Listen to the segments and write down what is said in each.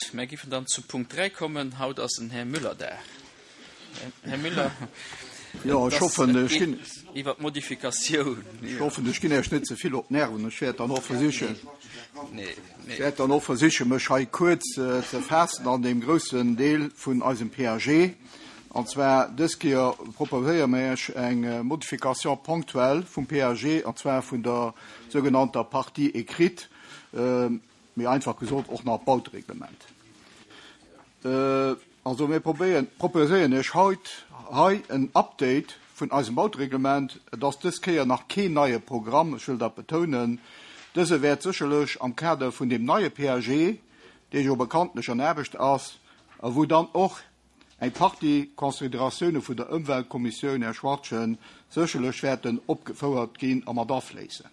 Gutt, mär giffen dann zum Punkt 3 kommen. Haut ass den Här Müller da. Här Müller, Jo, ech hoffen, ech ginn. Iwwer d'Modifikatioun. Ech hoffen, ech ginn Iech net ze vill op d'Nerven. Ech wäert dann och versichen, ech wäert dann och versichen, mech hei kuerz ze faassen an deem groussen Deel vun eisem PAG. An zwar dës Kéier proposéiere mir Iech eng Modification ponctuelle vum PAG, an zwar vun der sougenannter Partie écrite, méi einfach gesot och nach Bautereglement. Also mir probéieren, proposéieren Iech haut hei en Update vun eisem Bautereglement. Et ass dës Kéier nach keen neie Programm, ech wëll dat betounen. Dëse wäert sécherlech am Kader vun deem neie PAG, dee jo bekanntlech an Aarbecht ass a wou dann och eng Partie Consideratioune vun der Ëmweltkommissioun, Här Schwachtgen, sécherlech wäerten opgefouert ginn a mat afléissen.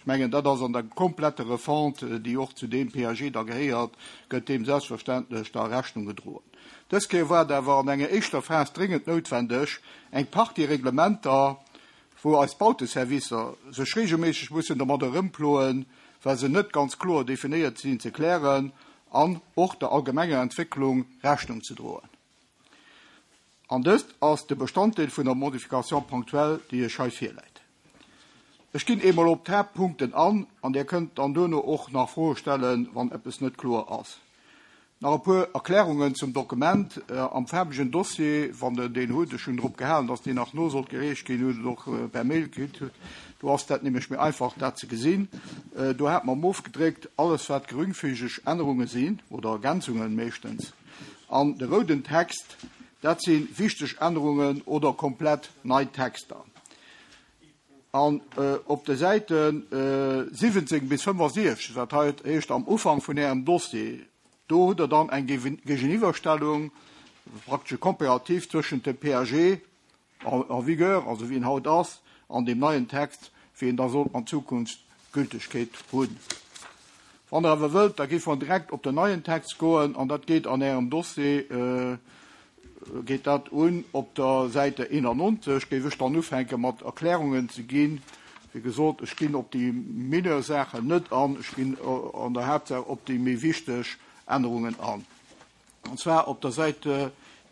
Ech mengen, dat ass an der kompletter Refonte, déi och zu deem PAG da gehéiert, gëtt deem selbstverständlech da Rechnung gedroen. Dës Kéier war et awer an enger éischter Phas dréngend noutwendeg, eng Partie Reglementer, wou eis Bauteservicer sech regelméisseg mussen domadder erëmploen, well se net ganz kloer definéiert sinn, ze klären an och der allgemenger Entwécklung Rechnung ze droen. An dëst ass de Bestanddeel vun der Modification ponctuelle, déi Iech hei virläit. Ech ginn eemol op d'Haaptpunkten an, an Dir kënnt dann duerno och nach Froe stellen, wann eppes net kloer ass. Nach e puer Erklärungen zum Dokument am faarwegen Dossier, wann Der deen hutt. Ech hunn drop gehalen, dass deen nach no sollt gereecht ginn, hutt et och per Mail kritt. Do ass dat nämlech méi einfach, dat ze gesinn. Do hate mer ofgedréckt alles, wat geringfügeg Ännerunge sinn oder Ergänzungen meeschtens. An de rouden Text, dat si wichteg Ännerungen oder komplett nei Texter. An op de Säite 17 bis 65, dat heescht am Ufank vun Ärem Dossier, do hutt Der dann eng Géigeniwwerstellung, praktesch e Comparatif zwëschent dem PAG en vigueur, also wéi en haut ass, an deem neien Text, wéi en da soll an Zukunft Gültegkeet hunn. Wann Der awer wëllt, da géife mer direkt op den neien Text goen, an dat geet an Ärem Dossier, geet dat un op der Säite 91, géif ech dann ufänke mat Erklärungen ze ginn. Wéi gesot, ech ginn op déi mineur Saachen net an, ech ginn an der Haaptsaach op déi méi wichteg Ännerungen an. An zwar op der Säit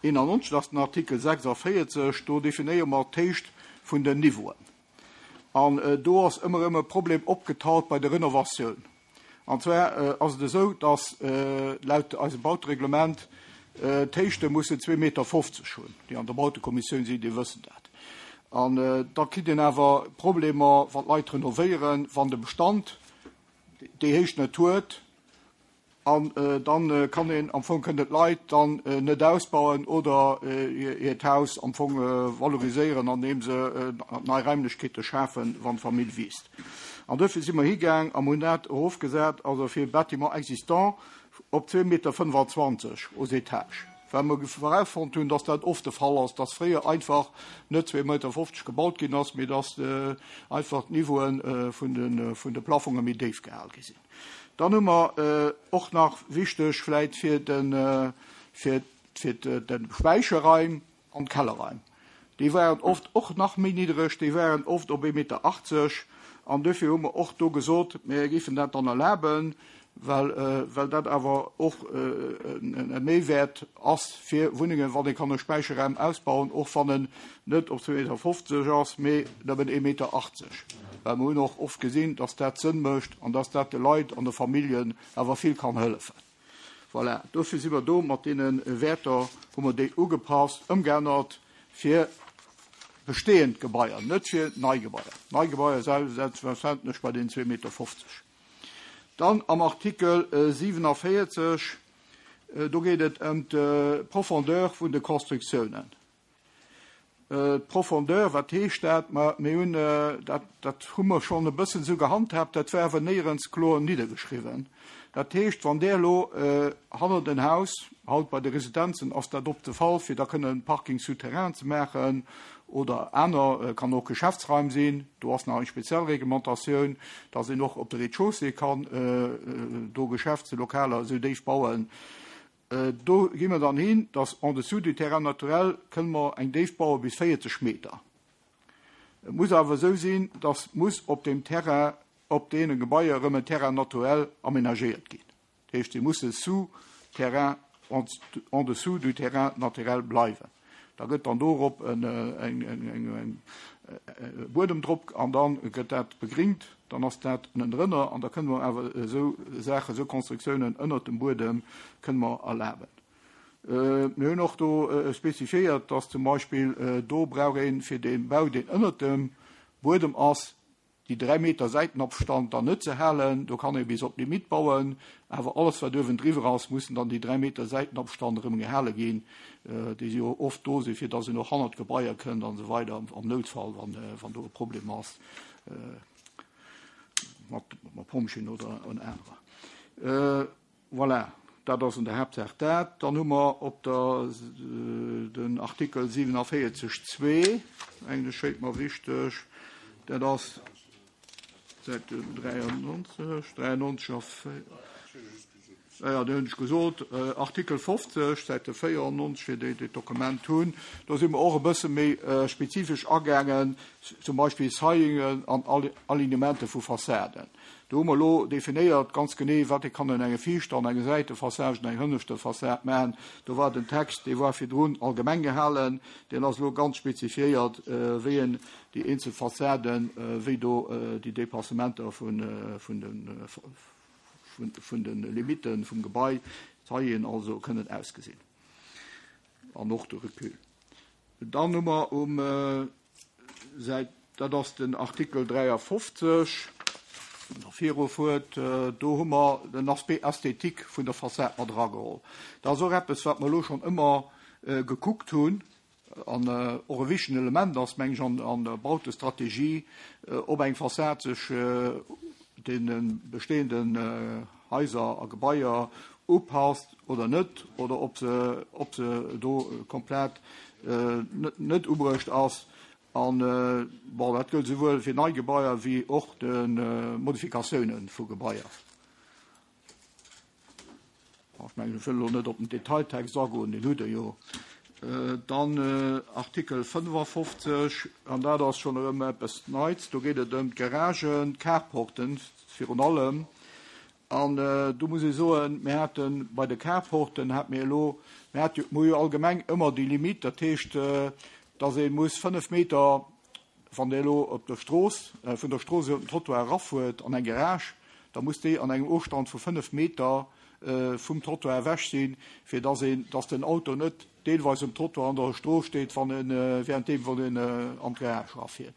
91, dat ass den Artikel 46, do definéiere mer d'Héicht vun den Niveauen. An do ass ëmmer erëm e Problem opgetaucht bei der Renovatioun. An zwar ass et esou, dass laut eisem Bautereglement d'Héichte mussen 2,50 Meter hunn. Déi an der Bautekommissioun sinn, déi wëssen dat. An da kritt een awer Problemer, wann d'Leit renovéieren, wann de Bestand déi Héicht net huet. An dann kann een am Fong, kënnen d'Leit dann net ausbauen oder hiert Haus am Fong valoriséieren, andeem se nei Raimlechkeete schafen, wann d'Famill wiisst. An duerfir si mer higaang a mer hunn dat erofgesat, also fir Bâtiment existant op 2,25 Meter aux étages, well mer erausfonnt hunn, dass dat oft de Fall ass, dass fréier einfach net 2,50 Meter gebaut ginn ass, mee dass einfach d'Niveaue vun de Plafonge méi déif gehal gi sinn. Dann hu mer och nach wichteg vläit fir de fir fir de Späicherraim an d'Kellerraim. Déi waren oft och nach méi niddereg, déi waren oft op 1,80 Meter. An duerfir hu mer och do gesot, mir géifen dat dann erlaben, well well dat awer och e Méiwäert ass fir Wunnengen, wann ee kann e Späicherraum ausbauen, och wann en net op 2,50 Meter ass, mee nëmmen 1,80 Meter. Well mer hunn och oft gesinn, dass dat Sënn mécht an dass dat de Leit an de Familljen awer vill kann hëllefen. Voilà, dofir si mer do mat deene Wäerter, hu mer déi ugepasst, ëmgeännert fir bestehend Gebaier, net fir nei Gebaier. Nei Gebaier selbstverständlech bei den 2,50 Meter. Dann am Artikel 47, do geet et ëm d'Profondeur vun de Constructiounen. D'Profondeur, wat heescht dat? Ma mir hunn, dat, dat hu mer schonn e bëssen esou gehandhaabt, dat war awer néierens kloer niddergeschriwwen. Dat heescht, wann Der elo hannert en Haus, haut bei de Residenzen ass dat oft de Fall, fir da kënnen Parking souterrain ze maachen oder aner, kann och Geschäftsraim sinn, do ass nach eng speziell Reglementatioun, dass een och op de Rez-de-chaussée kann do Geschäftslokaler esou déif bauen, Do gi mer dann hin, dass en dessous du terrain naturel kënne mer eng Déift baue bis 40 Meter. Et muss awer esou sinn, dass muss op deem Terrain, op deene Gebaier erëm en Terrain naturel aménagéiert ginn. Dat heescht, se musse sous. Terrain, en dessous du terrain naturel bleiwen. Da gëtt dann dorop en Buedem drop an da gëtt dat begringt, dann ass dat ënnendrënner an da kënne mer awer esou Saachen, esou Konstruktiounen ënnert dem Buedem kënne mer erlaben. Mir hunn och do spezifiéiert, dass zum Beispill do brauch ee fir dee Bau, deen ënnert dem Buedem ass, déi 3 Meter Säitenabstand dann net ze halen. Do kann ee bis op d'Limitt bauen, awer alles wat uewendriwwer ass, mussen dann déi 3 Meter Säitenabstand erëm gehale ginn, déi jo oft do sinn, fir datt een och hannert d'Gebaier kënnt an esou weider am Noutfall, wann do e Problem ass mat Pompjeeën oder anerer. Voilà, dat ass an der Haaptsaach dat. Dann hu mer op der den Artikel 47 2, mengen ech, schéngt mer wichteg, dat ass Säit 93, 93 a ja, ja, dat hunn ech gesot, Artikel 50, Säite 94, fir déi, déi d'Dokument hunn. Do si mer och e bësse méi spezifesch agaangen, zum Beispill Saillingen an Alignementen vu Fassaden. Do hu mer elo definéiert ganz genee, wat ee kann un enge viischter an enge Säitefassage an eng hënneschter Fassad maachen. Do war den Text, dee war virdrun allgemeng gehalen, deen ass elo ganz spezifiéiert, wéi een déi eenzel Fassaden, wéi do déi Dépassementer vun de Limitte vum Gebai, d'Taillen also, kënnen ausgesinn an och de Recul. Dann hu mer um Säit, dat ass den Artikel 53, der virufuert, do hu mer den Aspect esthétique vun der Fassad mat erageholl. Dat ass och eppes, wat mer elo schonn ëmmer gekuckt hunn an och e wichtegen Element ass, meng ech, an der Bautestrategie, ob eng Fassad sech deene bestehenden Haiser a Gebaier upasst oder net, oder ob se, ob se do komplett net ubruecht ass. An, bon, dat gëllt esouwuel fir nei Gebaier wéi och de Modifikatiounen vu Gebaier. Ech mengen, ech wëll elo net op den Detailtext agoen, deen hutt Der jo. Dann Artikel 55, an dat ass schonn erëm eppes Neits, do geet et ëm d'Garagen, d'Carporten virun allem. An do muss ee soen, mir hate bei de Carporten, hate mir elo, mir hate jo, mir hu jo allgemeng ëmmer déi Limite, dat heescht, dass ee muss 5 Meter, Wann Der elo op der Strooss, vun der Strooss iwwer den Trottoir erafuert an eng Garage, da muss déi an engem Ofstand vu 5 Meter vum Trottoir ewech sinn, fir dass een, dass den Auto net deelweis um Trottoir an der Strooss steet, wann en, währenddeem wann en an d'Garage erafiert.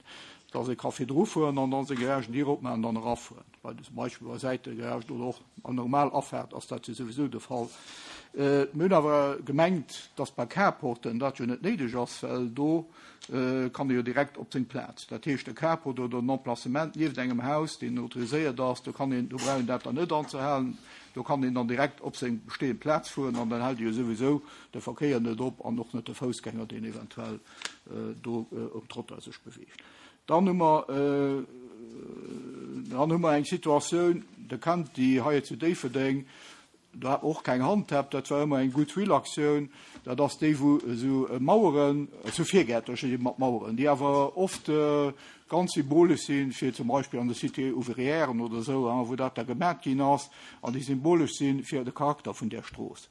Dass ee ka virdru fueren an dann seng Garagendier opmaachen an dann erafueren. Bei zum Beispill bei Säitegaragen oder och an normal Afaart ass dat jo souwisou de Fall. Mir hunn awer gemengt, dass bei Carporten dat jo net néideg ass, well do kann e jo direkt op seng Plaz. Dat heescht, e Carport oder en Emplacement nieft engem Haus, deen autoriséiert ass, do kann een, do brauch een dat dann net anzehalen, do kann een dann direkt op seng bestehend Plaz fueren an dann hält e jo souwisou de Verkéier net op an och net de Foussgänger, deen eventuell do um Trottoir sech beweegt. Dann hu mer, dann hu mer eng Situatioun, Der kennt déi hei zu Déifferdeng, do hat mer och keng Handhab, dat war ëmmer eng Goodwill-Aktioun, dat ass déi, wou esou Maueren, esou Virgäertercher si mat Maueren, déi awer oft ganz symbolesch sinn, fir zum Beispill an de Cités ouvrièren oder esou, wou dat da gemat ginn ass, an déi symbolesch sinn fir de Charakter vun där Strooss.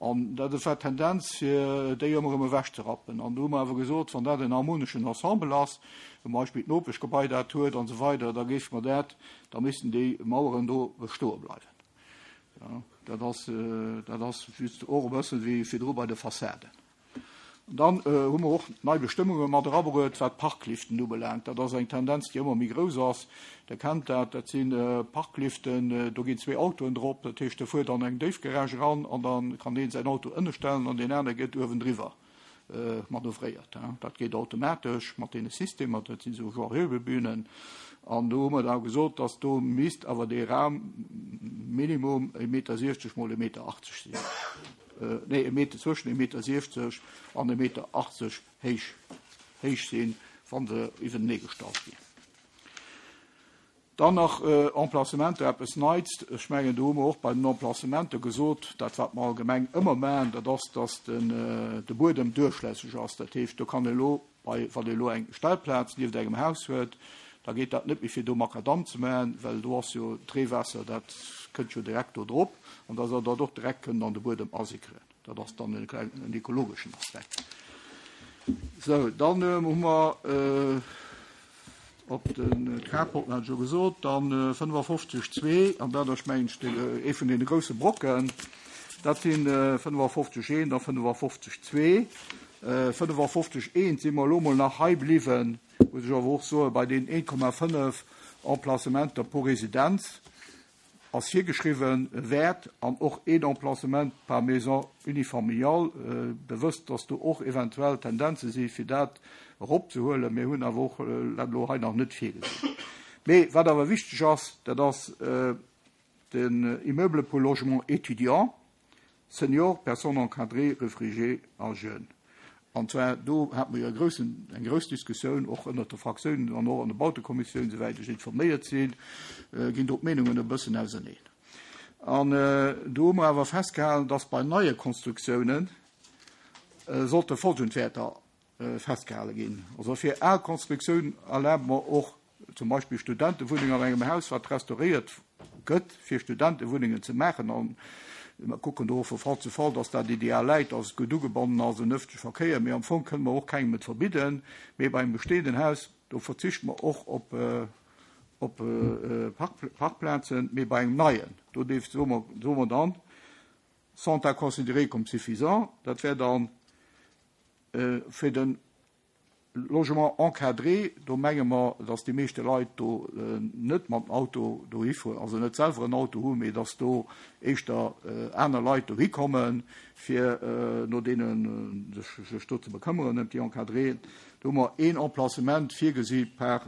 An dat war d'Tendenz, fir déi ëmmer erëm ewechzerappen. An do hu mer awer gesot, wann dat en harmoneschen Ensemble ass, zum Beispill d'Nopeschgebai dat huet an esou weider, da géife mer dat, da missten déi Maueren do bestoe bleiwen. Jo, dat ass, dat ass just och e bësse wéi virdru bei de Fassaden. An dann hu mer och nei Bestëmmunge mat erabruet, wat d'Parkliften ubelaangt. Dat ass eng Tendenz, déi ëmmer méi grouss ass. Der kennt dat, dat si Parkliften, do ginn zwee Autoen drop. Dat heescht, der fuert an eng Déifgarage eran an da kann deen säin Auto ënne stellen an deen anere gëtt uewendriwwer manövréiert. Dat geet automatesch mat deene Systemer, dat sinn esou genre Hebebühnen. An do hu mer da gesot, dass do misst awer dee Raum minimum e Meter 60 mol e Meter 80 sinn. nee, e Meter, zwëschen e Meter 60 an e Meter 80 héich, héich sinn, wa se iwwentenee gestallt ginn. Dann nach Emplacementer, eppes Neits. Ech mengen, do hu mer och bei den Emplacementer gesot, dat wat mer allgemeng ëmmer maachen, dat ass, dass den, de Buedem duerchlässeg ass. Dat heescht, do kann elo bei, wann ee elo eng Stellplaz nieft engem Haus huet, Da geet dat net méi fir do Makadamm ze maachen, well do ass jo d'Reewaasser, dat kënnt jo direkt do drop an da soll dat och direkt kënnen an de Buedem asickeren. Dat ass dann en klengen, en ekologeschen Aspekt. Sou, dann hu mer op den Carporten hat ech jo gesot, dann 55 2, an dat ass mengen ech ee vun deene grousse Brocken, dat si 55 1 a 55 2. 55 1 si mer elo mol nach hei bliwwen, muss ech awer och soen, bei deenen 1,5 Emplacementer pro Residenz ass virgeschriwwen wäert an och een Emplacement par maison unifamiliale, bewësst, dass do och eventuell Tendenze si fir dat eropzehuelen. Mir hunn awer och dat elo hei nach net virgesinn. Mee wat awer wichteg ass, dat ass den Immeuble pour logement étudiant. Seniors, personnes encadrées, réfugiés a jeunes. An zwar do hate mer jo e groussen, eng grouss Diskussioun och ënnert de Fraktiounen an och an der Bautekommissioun, souwäit ech informéiert sinn, ginn do d'Meenungen e bëssen auserneen. An do hu mer awer festgehalen, dass bei neie Konstruktiounen sollte folgend Wäerter festgehale ginn. Also fir al Konstruktioun erlabe mer och zum Beispill Studentewunneng an engem Haus, wat restauréiert gëtt, fir Studentewunnengen ze maachen. An mer kucken do och vu Fall zu Fall, dass dat ideal läit, dass et gutt ugebonnen ass un ëffentleche Verkéier. Mee am Fong kënne mer och kengem et verbidden. Mee bei engem bestehenden Haus, do verzichte mer och op op Parkplazen. Mee bei engem neien, do dierf, soe mer, soe mer dann, sont à considérer comme suffisants. Dat wär dann fir den Logement encadré, do menge mer, datt déi meeschte Leit do net mam Auto dohi fueren, also net selwer en Auto hunn, mee datt do éischter aner Leit dohi kommen, fir no deene sech do ze bekëmmeren, ëm déi Encadréen. Do hu mer een Emplacement virgesi par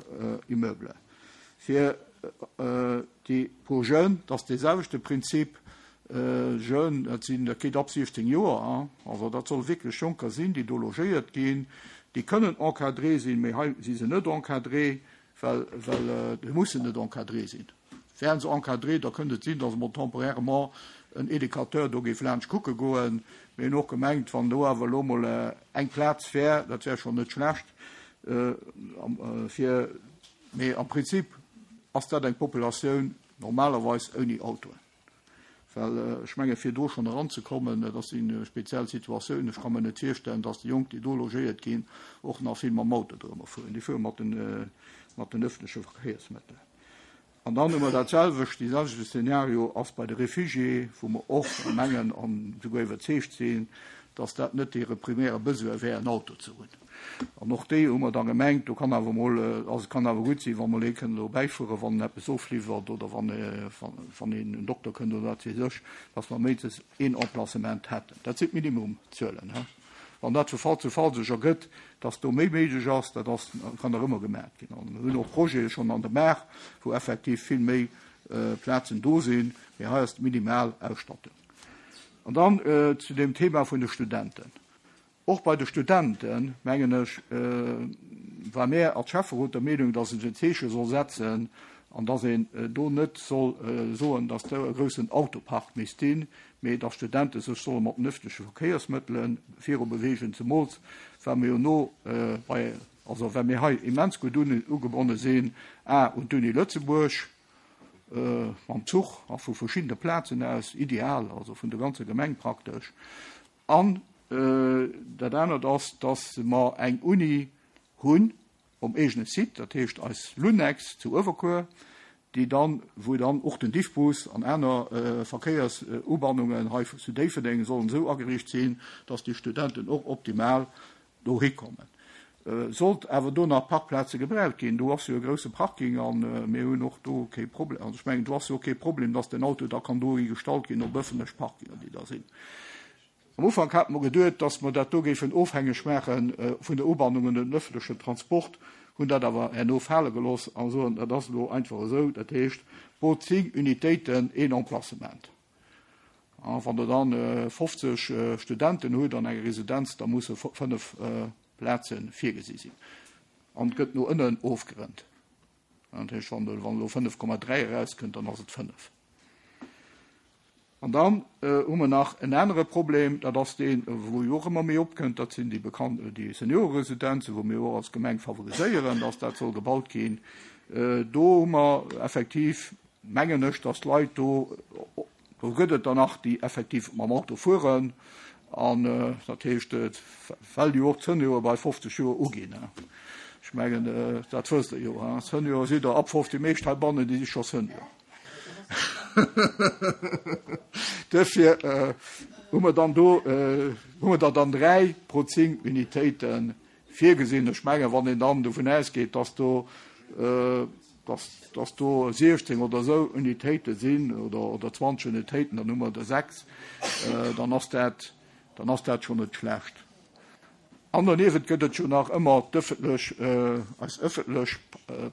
Immeuble. Fir déi pour jeunes, dat ass dee selwechte Prinzip, Jeunes, dat sinn, dat geet ab 16 Joer, also dat solle wierklech Jonker sinn, déi do logéiert ginn. Déi kënnen encadré sinn, mee hei si se net encadré, well, well se mussen net encadré sinn. Wären se encadré, da kënnt et sinn, datt emol temporairement en Educateur do géif laanscht kucke goen. Mir hunn och gemengt, wann do awer elo emol eng Plaz wär, dat wär schonn net schlecht fir, mee am Prinzip ass dat eng Populatioun normalerweis ouni Autoen. Well ech menge fir do schonn eranzekommen, dat ass eng speziell Situatioun. Ech ka mer net virstellen, datt déi Jonk, déi do logéiert ginn, och nach vill mam Auto dorëmmer fueren. Déi fuere mat den, mat den öffentleche Verkéiersmëttelen. An dann hu mer dat selwecht, dee selwechte Szenario ass bei de Réfugiés, wou mer och mengen an souguer iwwerzeegt sinn, datt dat net hire primäre Besoin wär, en Auto ze hunn. An och déi hu mer da gemengt, do kann awer emol, also et kann awer gutt sinn, wa mol ee kënn elo bäifueren, wann en eppes ofliwwert oder wann, wann een en Dokter kënnt oder wat weess ech, dass mer méinstens een Emplacement hätten. Dat sinn d'Minimumzuelen. Wann dat vu Fall zu Fall sech ergëtt, dass do méi méiglech ass, dat ass, kann nach ëmmer gemaach ginn. An mir hunn och Projete schonn an der Maach, wou effektiv vill méi Plazen do sinn, mee hei ass d'minimal Ausstattung. An dann zu dem Thema vun de Studenten. Och bei de Studenten, mengen ech, war mär als Schäfferot der Meenung, dass een en Zeeche soll setzen an dass een do net soll soen, dass do e groussen Autopark misst sinn, mee dass d'Studente sech solle mat den öffentleche Verkéiersmëttele viru beweegen, zemools well mir jo no bei, also well mir hei immens gutt ugebonne sinn, a un d'Uni Lëtzebuerg mam Zuch a vu verschiddene Plazen aus, ideal, also vun der ganzer Gemeng praktesch. An dat anert ass, dass mer eng Uni hunn um eegene Site, dat heescht eis Lunex zu Uewerkuer, déi dann, wou dann och den Diffbus an aner Verkéiersubannungen hei zu Déifferdeng sollen esou ageriicht sinn, dass déi Studenten och optimal dohi kommen. Sollt awer do nach Parkplaze gebraucht ginn, do ass jo e grousse Parking a mir hunn och do kee Problem, also ech mengen do ass jo och kee Problem, dass den Auto da kann dohi gestallt ginn op ëffentlech Parkinger, déi da sinn. Am Ufank hate mer geduet, dass mer dat do géifen ofhängeg maache vun der Ubannung un den ëffentlechen Transport, hunn dat awer herno fale gelooss a soen, dat ass elo einfach esou, dat heescht pro 10 Unitéiten een Emplacement. A wann Der dann 50 Studenten hutt an enger Residenz, da musse 5 Plaze virgesi sinn. An et gëtt no ënnen ofgerënnt. Dat heescht, wann elo 5,3 erauskënnt, dann ass et 5. An dann hu mer nach en anere Problem, dat ass deen, wou jo och ëmmer méi opkënnt, dat sinn déi bekannt, déi Senioreresidenzen, wou mir och als Gemeng favoriséieren, dass dat soll gebaut ginn. Do hu mer effektiv, mengen ech, dass d'Leit do, do gëtt et der nach, déi effektiv mam Auto fueren. An dat heescht, well jo och d'Senioren bei 50 Joer uginn. Ech mengen, dat wësst Der jo. Senior sidd Der ab 50, déi meescht heibannen, déi si scho Senior. Duerfir hu mer dann do, hu mer der dann 3 pro 10 Unitéite virgesinn. Ech mengen, wann een dann dovun ausgeet, dass do, dass, dass do 16 oder esou Unitéite sinn oder, oder 20 Unitéiten, dann hu mer der 6, dann ass dat, dann ass dat schonn net schlecht. An doniewent gëtt et jo nach ëmmer d'ëffentlech, eis ëffentlech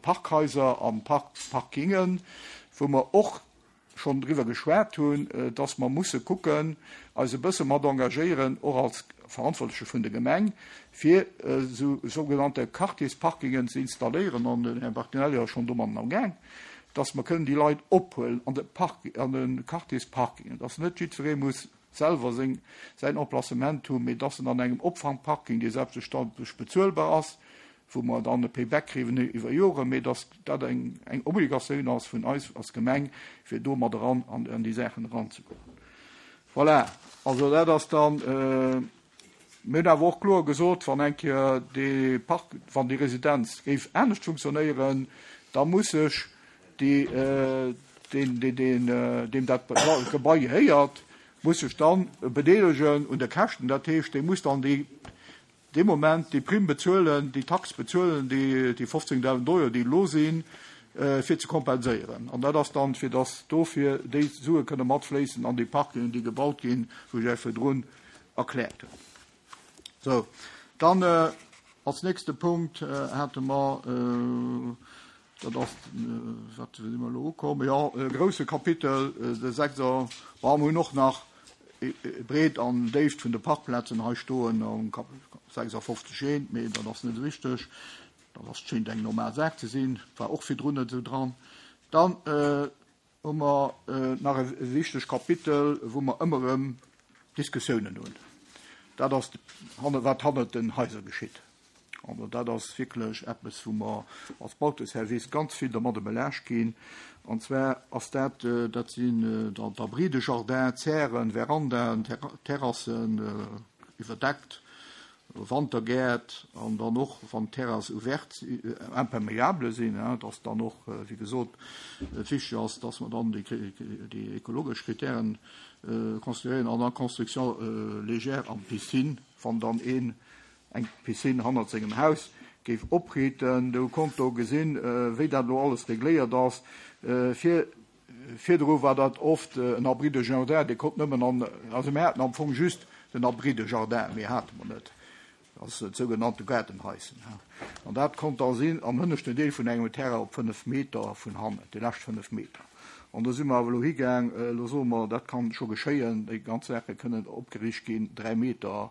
Parkhaiser a Parkingen, wou mer och schonn driwwer geschwat hunn, dass mer musse kucken, eis e bësse mat engagéieren, och als Verantwortleche vun der Gemeng, fir esou sougenannte Quartiersparkingen ze installéieren, an den Här Bertinelli ass schonn domatten amgaang, dass mer kënnen déi Leit ophuelen an de Park, an de Quartiersparkingen, dass net jiddweree muss selwer seng, säin Emplacement hunn, mee dass en an engem Opfangparking, dee selbstverständlech bezuelbar ass, wou mer dann e Payback kriwen iwwer Joren, mee dass dat eng, eng Obligatioun ass vun eis als Gemeng, fir do mat eran an, an déi Saachen eranzegoen. Voilà, also dat ass dann, mir hunn awer och kloer gesot, wann eng Kéier dee Park, wann déi Residenz géif anescht funktionéieren, da muss sech déi, deen, deen, deem dat Gebai gehéiert, muss sech dann bedeelegen un de Käschten. Dat heescht, dee muss dann déi, dee Moment déi Primm bezuelen, déi Tax bezuelen, déi, déi 15.000 Euro, déi elo sinn, fir ze kompenséieren. An dat ass dann, fir dass dofir déi Sue kënne matfléissen an déi Parkingen, déi gebaut ginn, wou ech Iech virdrun erkläert hunn. Sou, dann als nächste Punkt hate mer, dat ass, wat si mer elo ukomm, jo, e grouse Kapitel, de sechser, bon, mer hunn och nach Breet an Déift vun de Parkplazen hei stoen am Kap 56 eent, mee dat ass net esou wichteg, dat ass, schéint eng normal Saach ze sinn, war och virdrun net esou dran. Dann hu mer nach e wichteg Kapitel, wou mer ëmmer erëm Diskussiounen hunn. Dat ass, wat hannert den Haiser geschitt. Also dat ass wierklech eppes, wou mer als Bauteservice ganz vill dermadde belaascht ginn. An zwar ass dat, dat sinn d'Abris de jardin, Zären, Verandaen, Terrassen, iwwerdeckt, Wantergäert an dann och, wann d'Terrasse ouverte, imperméable sinn, dass dann och, wéi gesot, et wichteg ass, dass mer dann déi ekologesch Kritären consideréieren an dann d'Construction légère an d'Piscine, wann dann een eng Piscine hannert sengem Haus géif opriiten. Do konnt do gesinn, wéi dat elo alles regléiert ass. Fir virdru war dat oft en Abri de jardin, dee konnt nëmmen an, also mir haten am Fong just den Abri de jardin, méi hate mer net, dat ass dat sougenannte Gaardenhaischen. An dat konnt da sinn am hënneschten Deel vun engem Terrain op 5 Meter vun hannen, déi lescht 5 Meter. An do si mer awer elo higaang, elo soe mer, dat kann scho geschéien, déi ganz Saache kënnen opgeriicht ginn, 3 Meter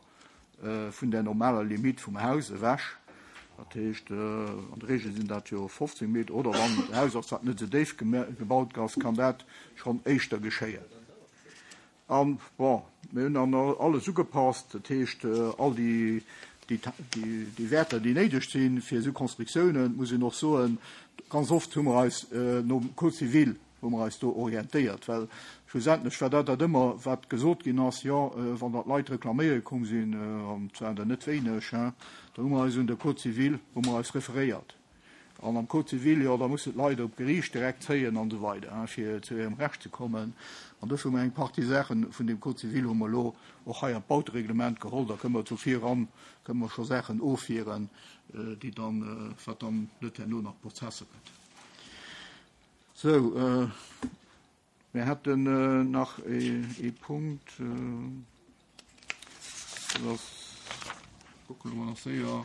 vun der normaler Limite vum Haus ewech. Dat heescht, an der Regel sinn dat jo 15 Meter, oder wann d'Haus ass, wat net esou déif gebaut ass, kann dat schonn éischter geschéien. An, bon, mir hunn dann alles ugepasst, dat heescht, all déi, déi Wäerter, déi néideg sinn fir esou Konstruktiounen, muss een och soen, ganz oft hu mer eis nom Code civil hu mer eis do orientéiert, well schlussendlech war dat dat ëmmer, wat gesot ginn ass, jo, wann der d'Leit reklaméiere komm sinn, an et waren der net wéineg, hein, da hu mer eis un de Code civil hu mer eis referéiert. An am Code civil, jo, da mussen d'Leit op d'Geriicht direkt zéien an esou weider, hein, fir zu hirem Recht ze kommen. An dofir hu mer eng Partie Saache vun deem Code civil hu mer elo och hei an d'Bautereglement geholl. Da kënne mer zu viran, kënne mer scho Saachen ofwieren, déi dann, wat dann net herno nach Prozesser gëtt. Sou, mir hätten nach ee Punkt, dat ass, kucke mer nach séier,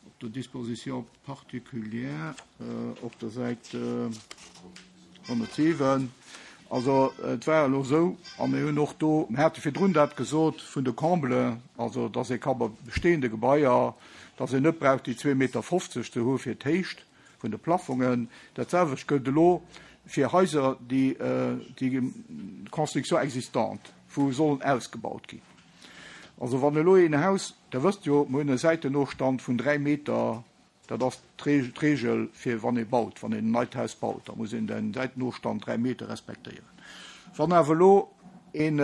op der Disposition particulière op der Säit 107. Also et war elo esou, a mir hunn och do, mir hate virdrun dat gesot vun de Comblen, also dass ee ka bei bestehende Gebaier, dass een net brauch déi 2,50 Meter ze hu fir d'Héicht, vun de Plafongen. Dat selwecht gëllt elo fir Haiser, déi déi Construction existante, wou sollen ausgebaut ginn. Also wann elo een Haus, Der wësst jo, mer hunn e Säitenofstand vun 3 Meter. Dat ass d'Regel fir wann ee baut, wann een en neit Haus baut, da muss een den Säitenofstand 3 Meter respektéieren. Wann awer elo een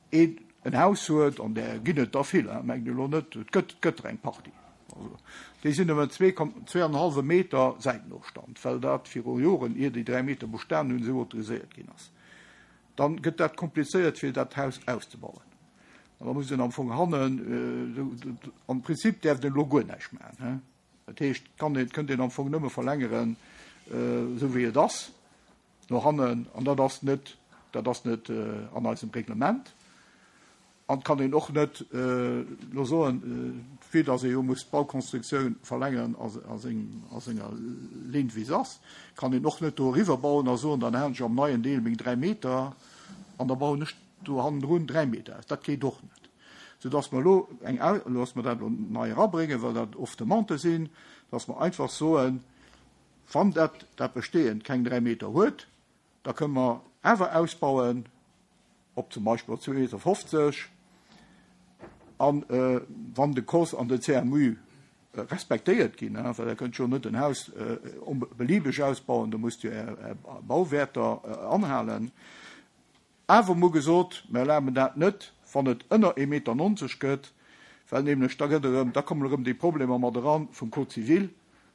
een en Haus huet, an där ginn et der vill, mengt elo net, et gëtt, et gëtt der eng Partie, also déi sinn nëmmen zwee, zwee an en hallwe Meter Säitenofstand, well dat viru Joren, ier déi 3 Meter bestanen hunn, esou autoriséiert ginn ass. Dann gëtt dat komplizéiert fir dat Haus auszebauen. An da muss een am Fong hannen, am Prinzip däerft een elo guer näischt maachen. Dat heescht, kann een, kënnt een am Fong nëmme verlängeren, esou wéi et ass, no hannen. An dat ass net, dat ass net an eisem Reglement. An et kann een och net elo soen, vue dass ee jo muss d'Baukonstruktioun verlängeren a senger Linn, wéi se ass, kann een och net do eriwwer bauen a soen, dann halen ech am neien Deel meng 3 Meter an da bauen ech do hannendrun 3 Meter aus. Dat geet och net. Soudass mer elo eng, dass mer dat elo nei erabréngen, well dat oft Demandë sinn, dass mer einfach soen, wann dat dat Bestehend keng 3 Meter huet, da kënne mer awer ausbauen, op zum Beispill op 2,50 Meter, an wann de COS an de CMU respektéiert ginn, well Der kënnt jo net en Haus beliebeg ausbauen, do musst Dir Är Bauwäerter anhalen. Awer mer hu gesot, mer erlaben dat net, wann et ënner 1,90 Meter gëtt, well nämlech da gëtt erëm, da kommen erëm déi Problemer mat eran vum Code civil,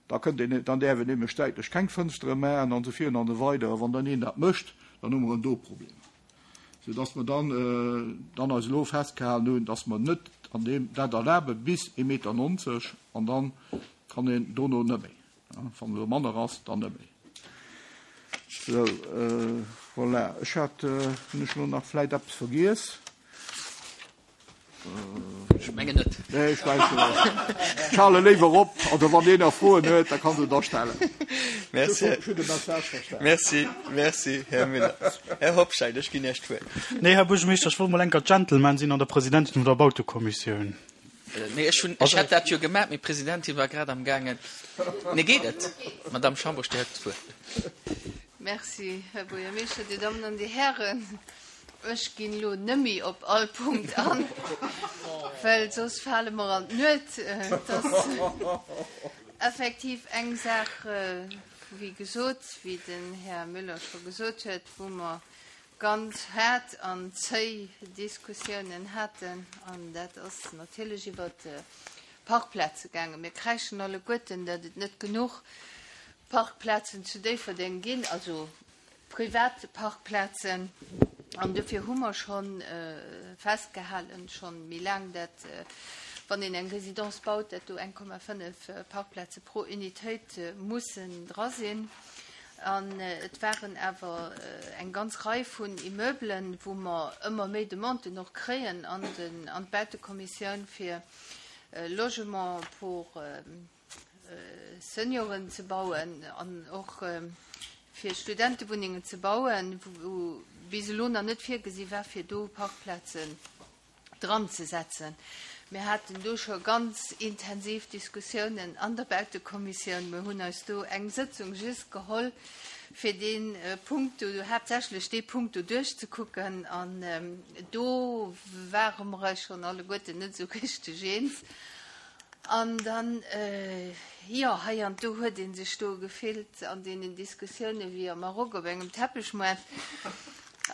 da kënnt een, dann däerf een nämlech säitlech keng Fënstere maachen an esou virun an esou weider. A wann dann een dat mécht, dann hu mer erëm do Problemer. Soudass mer dann, dann eis elo festgehalen hunn, dass mer net an deem dat erlabe bis 1,90 Meter an dann kann een dono net méi. Wann elo manner ass, dann net méi. Sou, voilà. Ech hat, hunn ech elo nach vläit eppes vergiess? Ech mengen net. Nee, ech mengen net. Ech hale léiwer op. Also wann een nach Froen huet, da kann se der stellen. Merci. Ech hunn de Message verstanen. Merci, merci, Här Müller. Här Hobscheit, ech ginn Iech d'Wuert. Nee, Här Buergermeeschter, ech wollt mol enker Gentleman sinn an der Presidentin vun der Bautekommissioun. Nee, ech hunn, ech hätt dat jo gemaach, mee d'Presidentin war grad am gaangen. Nee, geet et? Madamm Schambourg, Dir hutt d'Wuert. Merci, Här Buergermeeschter, Dir Dammen an Dir Hären. Ech ginn elo nëmmi op all Punkt an, well soss fale mer an d'Nuet. Et ass effektiv eng Saach, wéi gesot, wéi den Här Müller scho gesot huet, wou mer ganz haart an zéi Diskussiounen haten, an dat ass natierlech iwwert d'Parkplaze gaangen. Mir kräischen alleguerten, datt et net genuch Parkplazen zu Déifferdeng ginn, also privat Parkplazen. An dofir hu mer scho festgehalen, scho méi laang, dat wann een eng Résidence baut, dat do 1,5 Parkplaze pro Unitéit mussen dra sinn. An et waren awer eng ganz Rei vun Immeublen, wou mer ëmmer méi Demanden och kréien an d'Bautekommissioun fir Logement pour Senioren ze bauen an och fir Studentewunnengen ze bauen, wou bis elo nach net virgesi war, fir do Parkplazen dran ze setzen. Mir haten do scho ganz intensiv Diskussiounen an der Bautekommissioun. Mir hunn eis do eng Sëtzung just geholl, fir dee Punkt do, haaptsächlech dee Punkt do duerchzekucken. An do ware mer eis schonn alleguerten net esou richteg eens. An dann, jo, hei an do huet ee sech do gefillt an deenen Diskussioune wéi am Maroc op engem Teppechmoart.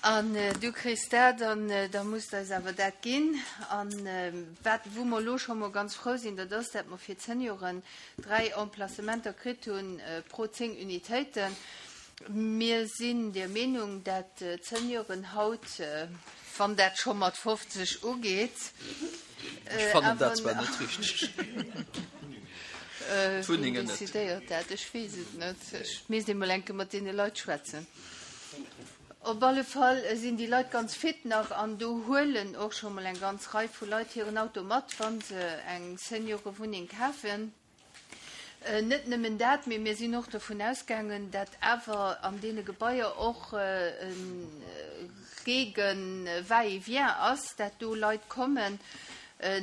An du kriss dat an da muss de eis awer dat ginn. An wat, wou mer elo scho mol ganz frou sinn, dat ass, dat mer fir d'Senioren 3 Emplacementer kritt hu pro 10 Unitéiten. Mir sinn der Meenung, dat d'Senioren haut, wann dat scho mat 50 ugeet, Ech fannen dat zwar net richteg. D'Wunnengen net. Decidéiert dat? Ech weess et net. Ech misst emol eng Kéier mat deene Leit schwätzen. Op alle Fall sinn déi Leit ganz fit nach an do huelen och scho mol eng ganz Rei vu Leit hiren Auto mat, wa se eng Seniorewunneng kafen. Net nëmmen dat, mee mir sinn och dovun ausgaangen, dat awer an deene Gebaier och e rege Va-et-vient ass, dat do Leit kommen,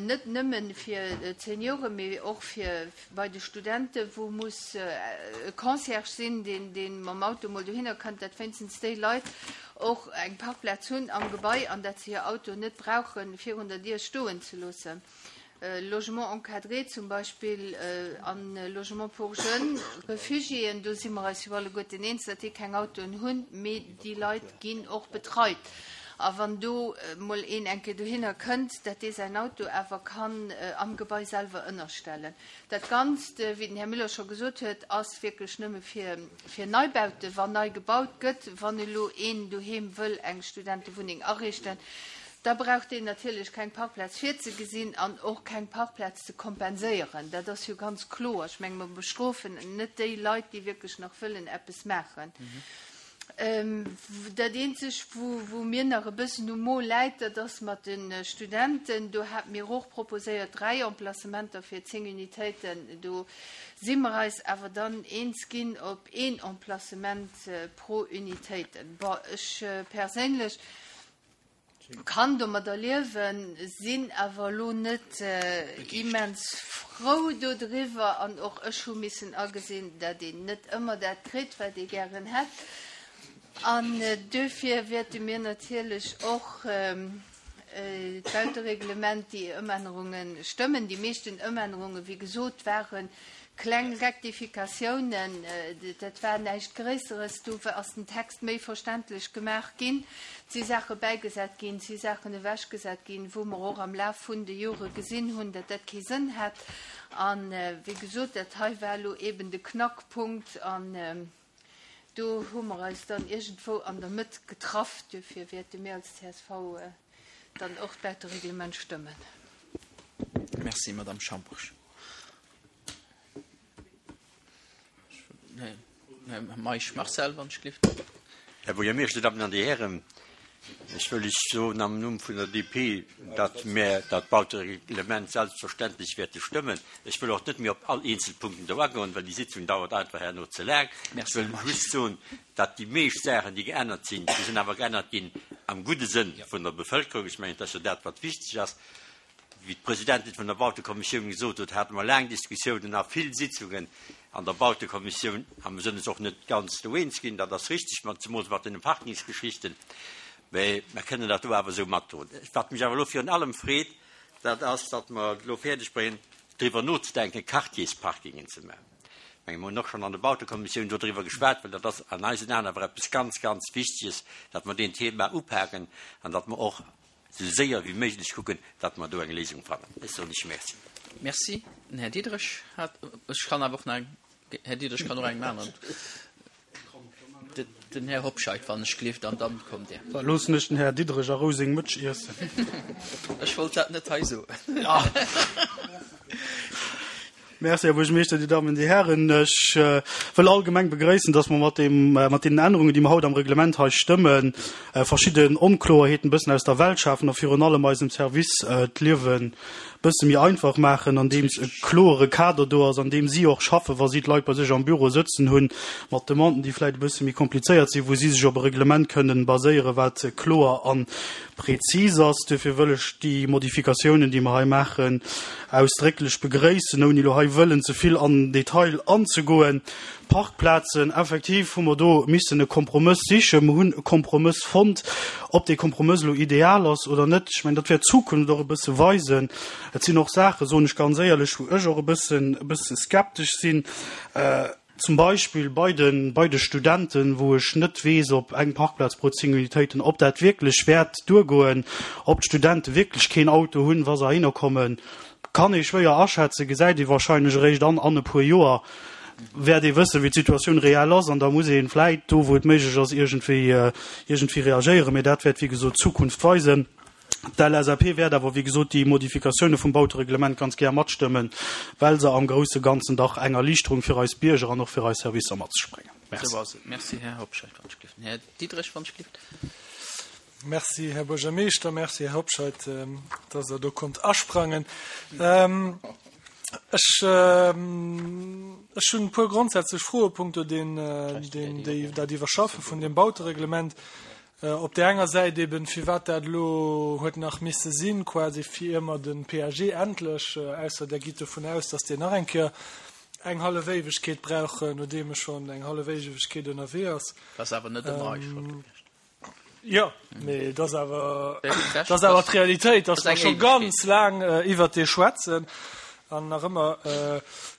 net nëmme fir d'Senioren, mee och fir bei de Studenten, wou muss e Concierge sinn, deen dee mam Auto mol dohinner kënnt, dat wéinstens déi Leit och eng Parkplaz hunn am Gebai an dat se hir Auto net brauche virun der Dier stoen ze loossen. Logement encadré zum Beispill an Logement pour jeunes Refugiéen, do si mer eis jo alleguerten eens, datt déi keng Autoen hunn, mee déi Leit ginn och betreit. A wann do mol een eng Kéier dohinner kënnt, datt dee säin Auto awer kann am Gebai selwer ënnerstellen. Dat Ganzt, wéi den Här Müller scho gesot huet, ass wierklech nëmme fir fir Neibauten, wann nei gebaut gëtt. Wann elo een doheem wëll eng Studentewunneng ariichten, da brauch deen natierlech keng Parkplaz virzegesinn an och keng Parkplaz ze kompenséieren. Dat ass jo ganz kloer. Ech menge mer bestrofen net déi Leit, déi wierklech nach wëllen eppes maachen. Dat eenzeg, wou mir nach e bëssen um Mo läit, dat ass mat de Studenten. Do hate mir och proposéiert, 3 Emplacementer fir 10 Unitéiten. Do si mer eis awer dann eens ginn op een Emplacement pro Unitéiten. Bon, ech perséinlech kann domadder liewen, sinn awer elo net immens frou dodriwwer an och ech hu missen agesinn, dat een net ëmmer dat kritt, wat ee gären hätt. An duerfir wäerte mir natierlech och d'Bautereglement, déi Ëmännerunge stëmmen. Déi meeschten Ëmännerunge, wéi gesot, ware Kleng Rektifikatiounen, dat war näischt Gréisseres. Do ass den Text méi verständlech gemaach ginn. Et si Saache bäigesat ginn, et si Saachen ewechgesat ginn, wou mer och am Laf vun de Jore gesinn hunn, datt dat kee Sënn hat. A wéi gesot, dat hei war elo eeben de Knackpunkt an do hu mer eis dann iergendwou an der Mëtt getraff. Duerfir wäerte mir als csv dann och d'Bautereglement stëmmen. Merci, Madamm Schambourg. Här Meisch Marcel, wann ech gelift. Här Buergermeeschter, Dir Dammen an Dir Hären, ech wëll lech soen am Numm vun der DP, datt mär dat Bautereglement selbstverständlech wäerte stëmmen. Ech wëll och net méi op all eenzel Punkten do agoen, well déi Sitzung dauert einfach herno ze laang. Ech wëll just soen, datt déi meescht Saachen, déi geännert sinn, déi sinn awer geännert ginn am gudde Sënn vun der Bevëlkerung. Ech mengen, et ass jo dat, wat wichteg ass. Wéi d'Presidentin vun der Bautekommissioun gesot huet, hate mer laang Diskussiounen a vill Sitzungen an der Bautekommissioun a mer sinn eis och net ganz do eens ginn. Dat ass richtig, mat, zemools mat deene Parkingsgeschichten, mä mer kënnen dat do awer esou matdroen. Wat mech awer elo virun allem freet, dat ass, datt mer et elo fäerdeg bréngen, driwwer nozedenken, Quartiersparkingen ze maachen. Ech menge mer hunn och schonn an der Bautekommissioun dodriwwer geschwat, well dat ass an eisen Aen awer eppes ganz, ganz Wichteges, datt mer deen Thema upaken an datt mer och esou séier wéi méiglech kucken, datt mer do eng Léisung fannen. Ech soen Iech Merci. Merci. Den Här Diderich hat, ech kann awer och nach eng, Här Diderich kann och eng maachen. Den Här Hobscheit, wann ech gelift, an dann kommt Dir. Da loossen ech den Här Diderich a Rou seng Mëtsch iessen. Ech wollt dat net hei soen. Merci, Här Buergermeeschter, Dir Dammen, Dir Hären. Ech wëll allgemeng begrëissen, dass mer mat deem, mat deenen Ännerungen, déi mer haut am Reglement hei stëmmen, verschidden Onkloerheeten e bëssen aus der Welt schafen a virun allem eisem Service d'Liewe bësse méi einfach maachen, andeems e kloere Kader do ass, an deem si och schaffen, wa si d'Leit bei sech am Büro sëtzen hunn, mat Demanden, déi vläicht e bësse méi komplizéiert sinn, wou si sech op e Reglement kënnen baséieren, wat kloer a prezis ass. Duerfir wëll ech déi Modifikatiounen, déi mer hei maachen, ausdrécklech begréissen, ouni elo hei wëllen ze vill an den Detail anzegoen. Parkplazen, effektiv hu mer do missen e Kompromëss sichen. Mer hunn e Kompromëss fonnt. Ob dee Kompromëss elo ideal ass oder net, ech mengen, dat wäert d'Zukunft och e bësse weisen. Et sinn och Saachen, soen ech ganz éierlech, wou ech och e bëssen, e bësse skeptesch sinn. Zum Beispill bei de, bei de Studenten, wou ech net weess, ob eng Parkplaz pro 10 Unitéiten, ob dat wierklech wäert duergoen, ob d'Studente wierklech keen Auto hunn, wa se heihinner kommen, kann ee schwéier aschätzen, gesäit ee wahrscheinlech eréischt an an e puer Joer, wäert ee wëssen, wéi d'Situatioun reell ass an da muss ee vläit do, wou et méiglech ass, iergendwéi, iergendwéi reagéieren. Mee dat wäert, wéi gesot, d'Zukunft weisen. D'LSAP wäert awer, wéi gesot, déi Modifikatioune vum Bautereglement ganz gär matstëmmen, well se am grousse Ganzen dach eng Erliichterung fir eis Bierger an och fir eis Servicer mat sech bréngen. Merci. Esou ass et. Merci, Här Hobscheit, wann ech gelift. Här Diderich, wann ech gelift. Merci, Här Buergermeeschter. Merci, Här Hobscheit, dass Der do konnt asprangen. Ech, ech hunn e puer grondsätzlech Froe punkto deen, deen, déi, dat Iwwerschaffe vun deem Bautereglement. Op där enger Säit eben, firwat dat elo huet nach misse sinn, quasi fir ier mer de PAG endlech, ausser Der gitt dovun aus, datt deen nach eng Kéier eng hallef Éiwegkeet brauch, nodeem e schonn eng hallef Éiwegkeet ënnerwee ass. Dat ass awer net ëmmer eis Schold gewiescht. Jo, mee et ass awer, et ass awer d'Realitéit, dass mer scho ganz laang iwwert dee schwätzen an nach ëmmer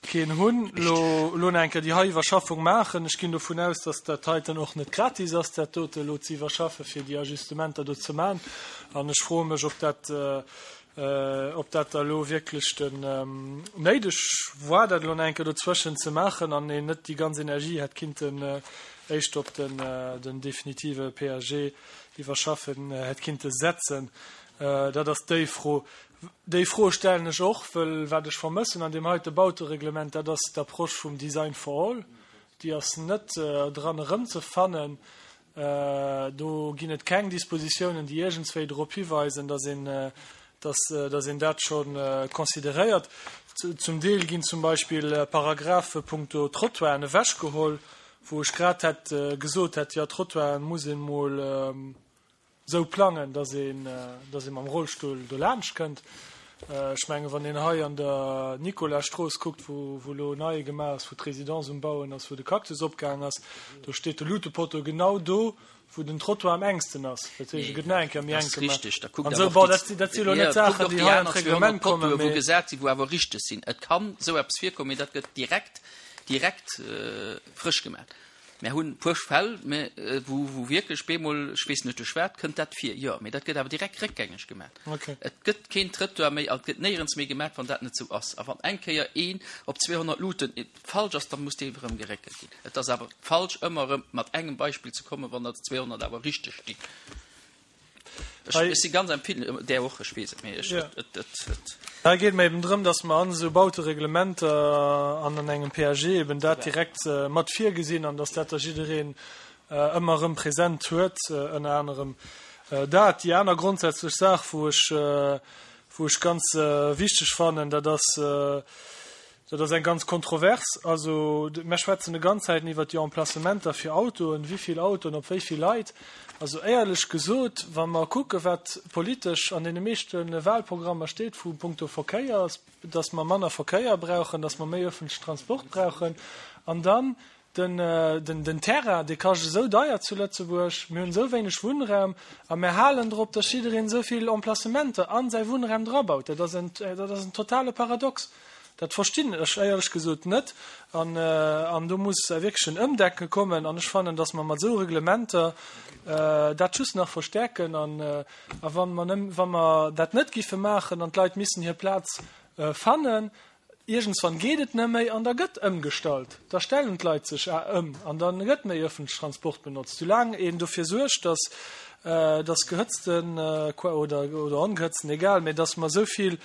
keen hunn. Elo, elo nach eng Kéier déi hei Iwwerschaffung maachen. Ech ginn dovun aus, dass dat heiten och net gratis ass, dat dote elo ze iwwerschaffen, fir déi Ajustementer do ze maachen. An ech froe mech, ob dat, ob dat da elo wierklech den néideg war, dat elo nach eng Kéier dozwëschen ze maachen an een net déi ganz Energie hätt kinnten éischt op den den definitive PAG iwwerschaffen hätt kinnte setzen. Dat ass déi Fro. Déi Fro stellen ech och, wëll wat ech vermëssen an deem heite Bautereglement, dat ass d'Approche vum Design for all. Déi ass net dran erëmzefannen. Do ginn et keng Dispositiounen, déi iergendswéi drop hiweisen, dass een, dass, dass een dat scho consideréiert. Zum Deel ginn zum Beispill Paragraphe punkto Trottoiren ewechgeholl, wou ech grad hätt gesot hätt, jo, Trottoiren muss een emol esou plangen, dass een, dass ee mam Rollstull do laanscht kënnt. Ech mengen, wann een hei an der Nicolasstrooss kuckt, wou, wou elo nei gemaach ass, wou d'Résidence um Bauen ass, wou de Cactus opgaang ass, do steet de Luutepotto genau do, wou den Trottoir am engsten ass. Dat heescht, e gëtt nach eng Kéier méi enk gemaach. Richteg, da kuckt An esou, awer bon, och dat, déi, dat si elo net jo, kuckt Saachen, och déi déi hei an aner d'Reglement 200 Pottoe kommen, wou mee. gesat sinn, wou awer richteg sinn. Et kann esou eppes virkommen, mee dat gëtt direkt, direkt frësch gemaach. Mär hunn e puer Fäll, mä wou, wou wierklech bemol, ech weess net duerch wat, kënnt dat vir, jo, mee dat gëtt awer direkt réckgängeg gemaach. Et gëtt keen Trëttoir méi an et gëtt néierens méi gemaach, wann dat net esou ass. A wann eng Kéier een op 200 Luuten falsch ass, da muss dee erëm geréckelt ginn. Et ass awer falsch, ëmmer erëm mat engem Beispill ze kommen, wann der 200 awer richteg stinn. Ech, ech si ganz empfindlech, där och, ech weess et, mee ech, et, et, et. Hei geet et mer eben drëm, dass mer an esou Bautereglementer an an engem PAG eben dat direkt mat virgesinn an dass dat da jiddereen ëmmer erëm present huet, ënner anerem dat. Déi aner grondsätzlech Saach, wou ech, wou ech ganz wichteg fannen, dat ass, Dat ass eng ganz kontrovers. Also, mer schwätzen de ganz Zäiten iwwert déi Emplacementer fir Autoen, wéi vill Autoen op wéi vill Leit. Also éierlech gesot, wa mer kucke wat politesch an deene meeschte Wahlprogrammer steet vu punkto Verkéier, dass mer manner Verkéier brauchen, dass mer méi öffentlichen Transport brauchen an dann Den Terrain, dee kascht esou deier zu Lëtzebuerg, mir hunn esou wéineg Wunnraum a mir halen drop, datt jiddereen esou vill Emplacementer a säi Wunnraum drabaut. Dat ass en, dat ass en totale Paradox. Dat verstinn ech éierlech gesot net. An, an do muss wierklech en Ëmdenke kommen. An ech fannen, datt mer mat esou Reglementer dat just nach verstärken. An, a wa mer, wa mer dat net giffe maachen an d'Leit missen hir Plaz fannen, Iergendswann geet et net méi an da gëtt ëmgestallt. Da stellen d'Leit sech ëm an da gëtt méi ëffentlech Transport benotzt. Soulaang een dofir suergt, datt datt gehëtzten oder oder ongehëtzten, egal, mä datt mer esou vill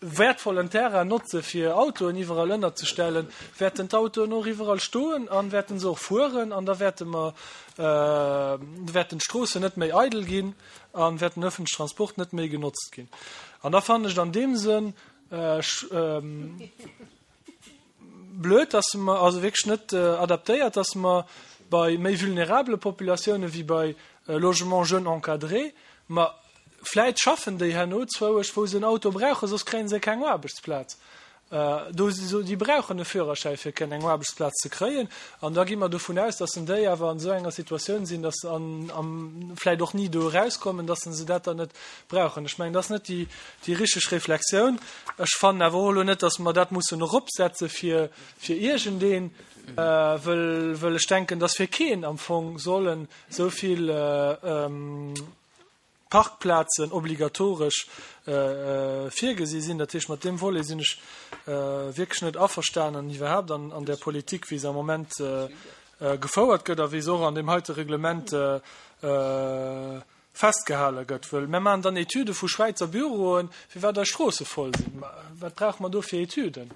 wäertvollen Terrain notze fir Autoen iwwerall ënnerzestellen, wäerten d'Autoen och iwwerall stoen an wäerten se och fueren an da wäerte mer wäerten d'Stroossen net méi eidel ginn a wäert den ëffentlech Transport net méi genotzt ginn. An da fannen ech et an deem Sënn Blöd, dass mer, also wierklech net adaptéiert, dass mer bei méi vulnerabele Populatioune wéi bei Logements jeunes encadrés, ma vläit schaffen déi herno zwouesch, wou se en Auto brauchen, soss kréie se keng Aarbechtsplaz. Do si se, déi brauchen e Führerschäi fir kënnen eng Aarbechtsplaz ze kréien. An da gi mer dovun aus, dass en déi awer an esou enger Situatioun sinn, dass se an, am, vläit och ni do erauskommen, dass se dat dann net brauchen. Ech mengen, dat ass net déi, déi richteg Reflexioun. Ech fannen awer och elo net, dass mer dat mussen eropsetze fir, fir iergendeen, wëll, wëll ech denken, dass fir keen am Fong sollen esou vill Parkplazen obligatoresch virgesi sinn. Dat heescht, mat deem Volet sinn ech wierklech net averstanen, iwwerhaapt an, an där Politik, wéi se am Moment gefouert gëtt a wéi se och an deem heite Reglement festgehale gëtt. Wëll mir maachen dann Etüde vu Schwäizer Büroen, firwat eis Stroosse voll sinn. Ma wat brauche mer do fir Etüden?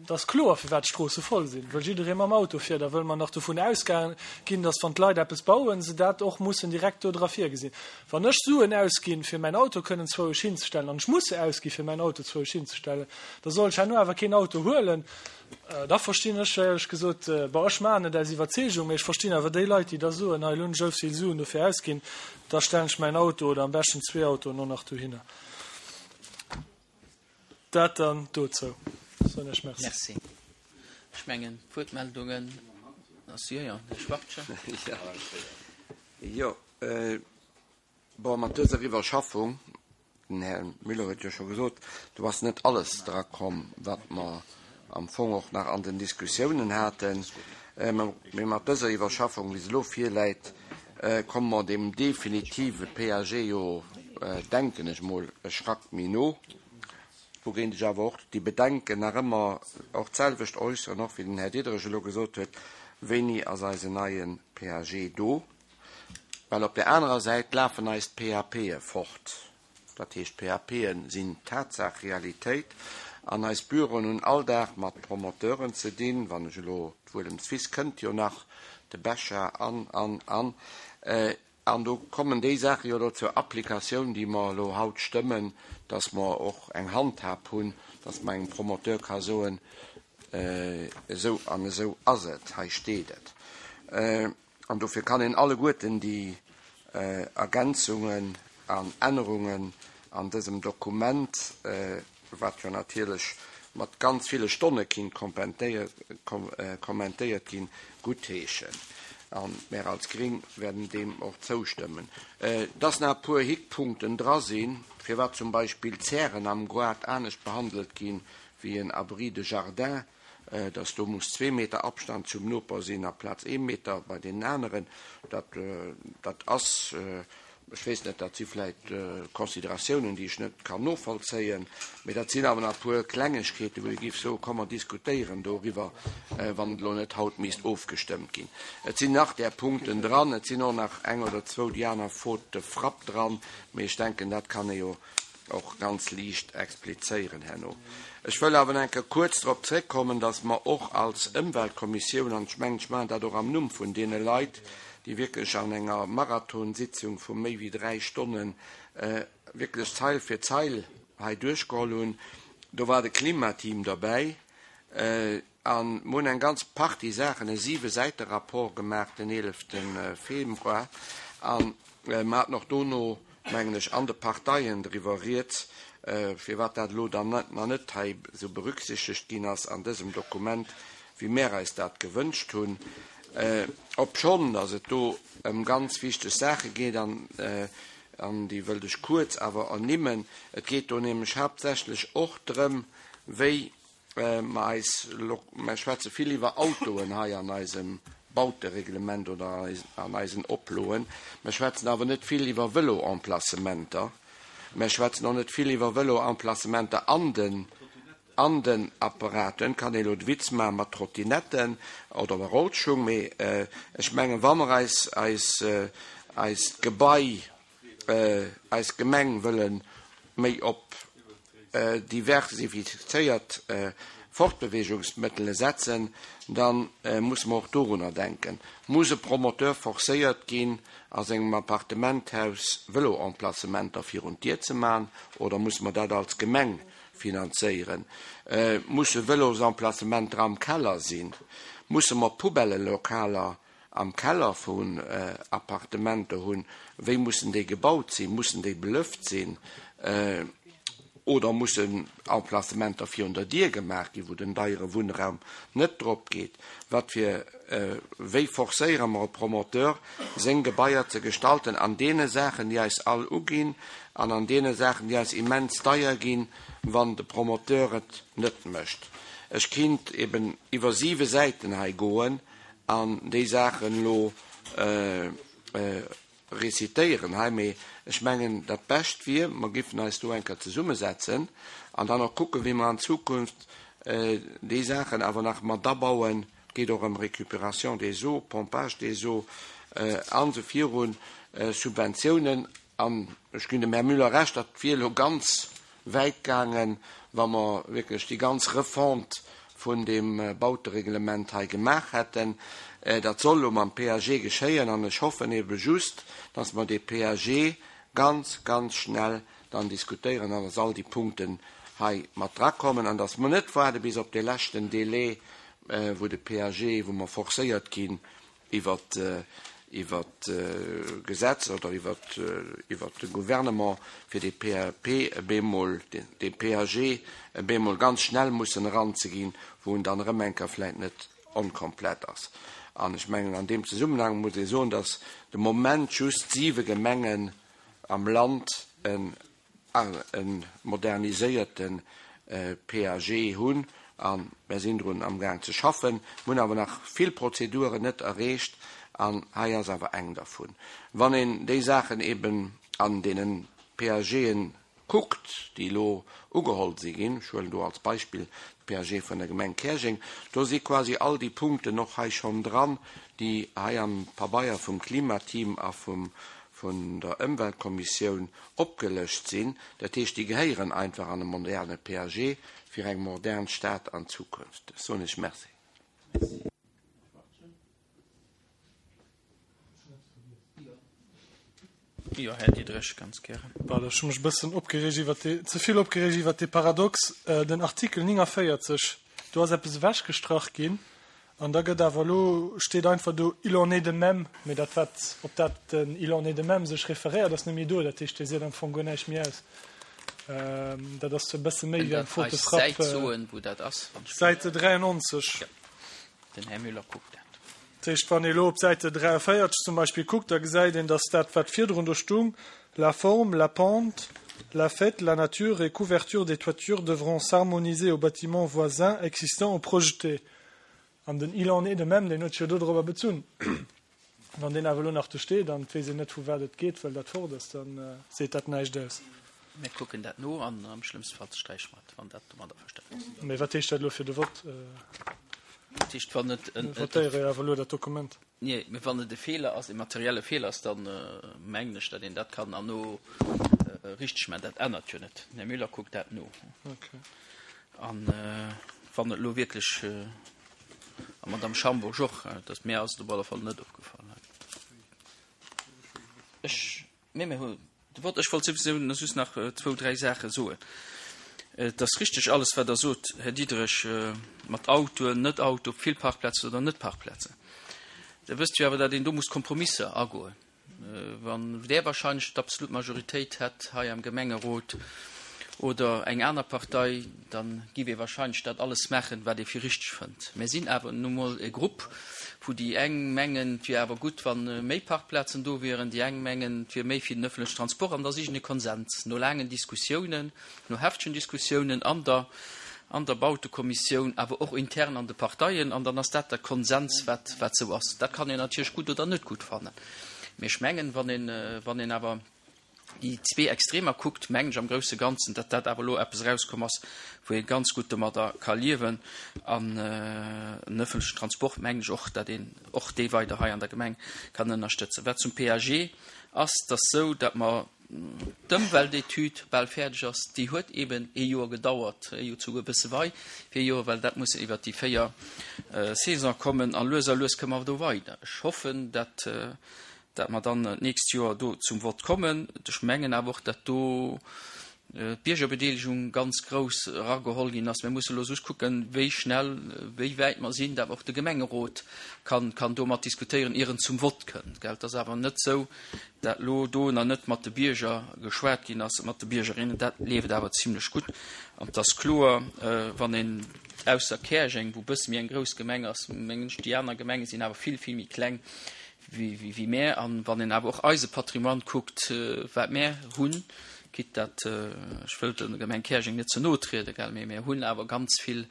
Et ass kloer, firwat d'Stroosse voll sinn, wëll jidderee mam Auto fiert a wëll mer nach dovun ausgaange ginn, datt wann d'Leit eppes bauen, se dat och mussen direkt do dra virgesinn. Wann ech Suen ausginn, fir mäin Auto kënnen zwouesch hinzestellen, an ech muss se ausgi fir mäin Auto zwouesch hinzestellen, da soll ech herno awer keen Auto huelen. Da verstinn ech éierlech gesot, bon, ech maachen et aus Iwwerzeegung, mee ech verstinn awer déi Leit, déi da soen, hei elo hunn ech esou vill Suen dofir ausginn, da stellen ech mäin Auto oder am beschten zwee Autoen och nach dohinner. Dat dann dozou. Soen ech Merci. Merci. Ech mengen, d'Wuertmeldungen ass, jo, jo, Här Schwachtgen. Jo. Bon, mat dëser Iwwerschaffung, den Här Müller huet jo scho gesot, do ass net alles drakomm, wat mer am Fong och nach an den Diskussiounen haten, mee mat dëser Iwwerschaffung, wéi se elo virläit, komme mer deem definitive PAG jo, denken ech mol, e Schrack méi no. Wougéint ech awer och déi Bedenken nach ëmmer och d'selwecht äusseren, och wéi den Här Diderich elo gesot huet, Wéini ass eisen neie PAG do? Well op där anerer Säit lafen eis d'PAPe fort. Dat heescht, d'PAPe sinn Tatsaach, Realitéit. An eis Büroen hunn all Dag mat Promoteuren ze dinn, wann ech elo, d'Wuelemswiss kënnt jo nach, de Becher an, an, an. An do kommen déi Saache jo elo zur Applikatioun, déi mer elo haut stëmmen, dass mer och eng Handhab hunn, dass mer engem Promoteur ka soen, esou an esou ass et, hei steet et. An dofir kann een alleguerten déi Ergänzungen an Ännerungen an dësem Dokument, wat jo natierlech mat ganz ville Stonne kinnt kommentéiert ginn, guttheeschen. A mär als Gring werden deem och zoustëmmen. Dass nach e puer Hickpunkten dra sinn, firwat zum Beispill d'Zären am Goart anescht behandelt ginn wéi en Abri de jardin, dass do muss zwee Meter Abstand zum Noper sinn aplaz ee Meter bei deenen aneren, dat, dat ass, ech weess net, dat si vläicht Consideratiounen, déi ech net kann novollzéien, mee dat sinn awer nach e puer Klengegkeeten, wou ee géif soen, komm mer diskutéieren doriwwer, wann et elo net haut misst ofgestëmmt ginn. Et sinn nach där Punkten dran, et sinn och nach eng oder zwou déi aner Faute de frappe dran, mee ech denken, dat kann ee jo och ganz liicht explizéieren herno. Ech wëll awer nach eng Kéier kuerz drop zréckkommen, dass mer och als Ëmweltkommissioun, an ech mengen, ech maachen dat och am Numm vun deene Leit, déi wierklech an enger Marathonsitzung vu méi wéi dräi Stonne wierklech Zeil fir Zeil hei duerchgeholl hunn, do war de Klimateam derbäi, A mer hunn eng ganz Partie Saachen, e Siwe-Säite-Rapport gemaach den eelefte Februar. A mer haten och dono, mengen ech, an de Parteien driwwer rieds, firwat dat elo dann nach net hei esou berücksichtegt ginn ass an dësem Dokument, wéi mär eis dat gewënscht hunn. Obschonn datt et do ëm ganz wichteg Saache geet, an déi wëllt ech kuerz awer ernimmen. Et geet do nämlech haaptsächlech och drëm, wéi Mer eis, mer schwätze vill iwwer Autoen hei an eisem Bautereglement oder an eisen Oploen. Mer schwätzen awer net vill iwwer Vëloemplacementer. Mer schwätzen och net vill iwwer Vëloemplacementer an den, an den Apparaten. Et kann ee elo de Witz maache mat Trottinetten oder mat Rollschung, mee ech mengen, wa mer eis, eis, eist Gebai, eis Gemeng wëlle méi op diversifizéiert Fortbeweegungsmëttele setzen, da musse mer och dorunner denken. Muss e Promoteur forcéiert ginn, a sengem Appartementhaus Vëloemplacementer virun d'Dier ze man, oder musse mer dat als Gemeng finanzéieren? Musse Vëlosemplacementer am Keller sinn? Musse mer Poubellelokaler am Keller vun Appartementer hunn, wéi mussen déi gebaut sinn? Mussen déi belëft sinn oder mussen Emplacementer virun der Dier gemaach ginn, wou den deiere Wunnraum net drop geet? Wat fir, wéi forcéiere mer e Promoteur, seng Gebaier ze gestalten an deene Saachen, déi eis all uginn an an deene Saachen, déi eis immens deier ginn, wann de Promoteur et net mécht? Ech kinnt eben iwwer siwe Säiten hei goen an déi Saachen elo récitéieren hei, mee ech mengen, dat Bescht wier, mer giffen eis do eng Kéier zesummesetzen an dann och kucken, wéi mer an Zukunft déi Saachen awer nach mat abauen. Et geet och ëm Récupération des eaux, Pompage des eaux an esou virun, Subventiounen. An ech ginn dem Här Müller Recht, dat wier elo ganz wäit gaangen, wa mer wierklech déi ganz Refonte vun deem Bautereglement hei gemaach hätten. Dat soll elo mam PAG geschéien an ech hoffen ebe just, dass mer dee PAG ganz, ganz schnell dann diskutéieren an dass all déi Punkten hei mat drakommen an dass mer net waarde bis op dee leschten Délai, wou de PAG, wou mer forcéiert ginn, iwwert iwwert d'Gesetz oder iwwert iwwert de Gouvernement fir dee PAP e bemol, dee PAG e bemol ganz schnell mussen eranzeginn, wou en dann erëm eng Kéier vläicht net onkomplett ass. An ech mengen, an deem Zesummenhang muss ee soen, dass de Moment just siwe Gemengen am Land e moderniséierte PAG hunn. A mär sinn drun amgaang ze schaffen. Mir hunn awer nach vill Prozeduren net erreecht an hei ass awer eng dervun. Wann een déi Saachen eben an deene PAGen kuckt, déi elo ugeholl si ginn, ech huelen do als Beispill de PAG vun der Gemeng Käerjeng, do si quasi all déi Punkten och hei schonn dran, déi hei am Pabeier vum Klimateam a vum vun der Ëmweltkommissioun opgelëscht sinn. Dat heescht, déi gehéieren einfach an e moderne PAG fir eng modern Stad an Zukunft. Ech soen Iech Merci. Jo, Här Diderich, ganz gären. Well ech hu mech e bëssen opgereegt iwwert dee, ze vill opgereegt iwwert dee Paradox, den Artikel 49, do ass eppes ewechgestrach ginn an da gëtt awer elo, steet einfach do il en est de même, mee dat wat, op dat den il en est de même sech referéiert, ass net méi do. Dat heescht, dee seet am Fong guer näischt méi aus. Dat ass e bësse méi wéi eng Faute de frappe. Kënnt Der eis d'Säit soen, wou dat ass? Säite 93. Jo. Den Här Müller kuckt dat. Dat heescht, wann ee elo op Säite 43 zum Beispill kuckt, da gesäit een, datt dat, wat virdrun do stung, La forme, la pente, la faite, la nature et couverture des toitures devront s'harmoniser aux bâtiments voisins existants ou projetés. An den Il en est de même, deen huet sech jo dodrobber bezunn. Wann deen awer elo nach do steet an et weess een net, vu wat et geet, well dat fort ass, da seet dat näischt aus. Mir kucken dat no an am schlëmmste Fall sträiche mer et, wann dat domat averstanen ass. Mee wat heescht dat elo fir de Vott? Dat heescht, wann et en. Mir votéiere jo awer elo dat Dokument. Nee, mee wann et e Feeler ass, e materielle Feeler ass, da mengen ech, datt een dat kann herno richteg maachen. Dat ännert jo net. Den Här Müller kuckt dat no. Okay. An wann et elo wierklech. A Madame Schambourg och, dass mir ass et op alle Fall net opgefall. Ech, nee, mir hu de Wort. Ech wollt souwisou just nach zwou, dräi Saache soen. Et ass richteg alles, wat Der sot, Här Diderich, mat Autoen, net Auto, vill Parkplazen oder net Parkplazen. Der wësst jo awer, datt een do muss Kompromisser agoen. Wann där wahrscheinlech d'absolut Majoritéit hätt hei am Gemengerot oder eng aner Partei, da giff ee wahrscheinlech dat alles maachen, wat ee fir richteg fënnt. Mär sinn awer nu mol e Grupp, wou déi eng mengen, et wier awer gutt, wa méi Parkplazen do wieren, déi eng mengen, et wier méi fir den öffentlechen Transport, an da sichen ee Konsens no laangen Diskussiounen, no heftegen Diskussiounen an der an der Bautekommissioun, awer och intern an de Parteien, an dann ass dat de Konsens, wat wat esou ass. Dat kann een natierlech gutt oder net gutt fannen, mee ech mengen, wann een wann een awer déi zwee Extremer kuckt, mengen ech am grousse Ganzen, datt dat awer elo eppes erauskomm ass, wou ee ganz gutt domadder ka liewen. An den öffentlechen Transport, mengen ech och, datt een och dee weider hei an der Gemeng kann ënnerstëtzen. Wat zum PAG ass, et ass esou, datt mer d'Ëmweltetüd bal fäerdeg ass, déi huet eeben ee Joer gedauert, jo souguer e bësse wei wéi ee Joer, well dat muss iwwert déi 4 Saison kommen a lues a lues këmme mer do weider. Ech hoffen, dat dat mer dann d'nächst Joer do zum Vott kommen. Ech mengen awer och, dat do d'Biergerbedeelegung ganz grouss erageholl ginn ass. Mir musse elo just kucken, wéi schnell, wéi wäit mer sinn, dat och de Gemengerot kann kann do mat diskutéieren, ier en zum Vott kënnt. Gell, et ass awer net esou, dat elo do nach net mat de Bierger geschwat ginn ass, mat de Biergerinnen, dat leeft awer zimlech gutt. An et ass kloer, wann een, ausser Käerjeng, wou e bësse méi eng grouss Gemeng ass, mengen ech, déi aner Gemenge sinn awer vill, vill méi kleng wéi mär. An wann een awer och eise Patrimoine kuckt, wat mär hunn, quitte dat, ech wëll der Gemeng Käerjeng net ze no trieden, gell, mee mär hunn awer ganz vill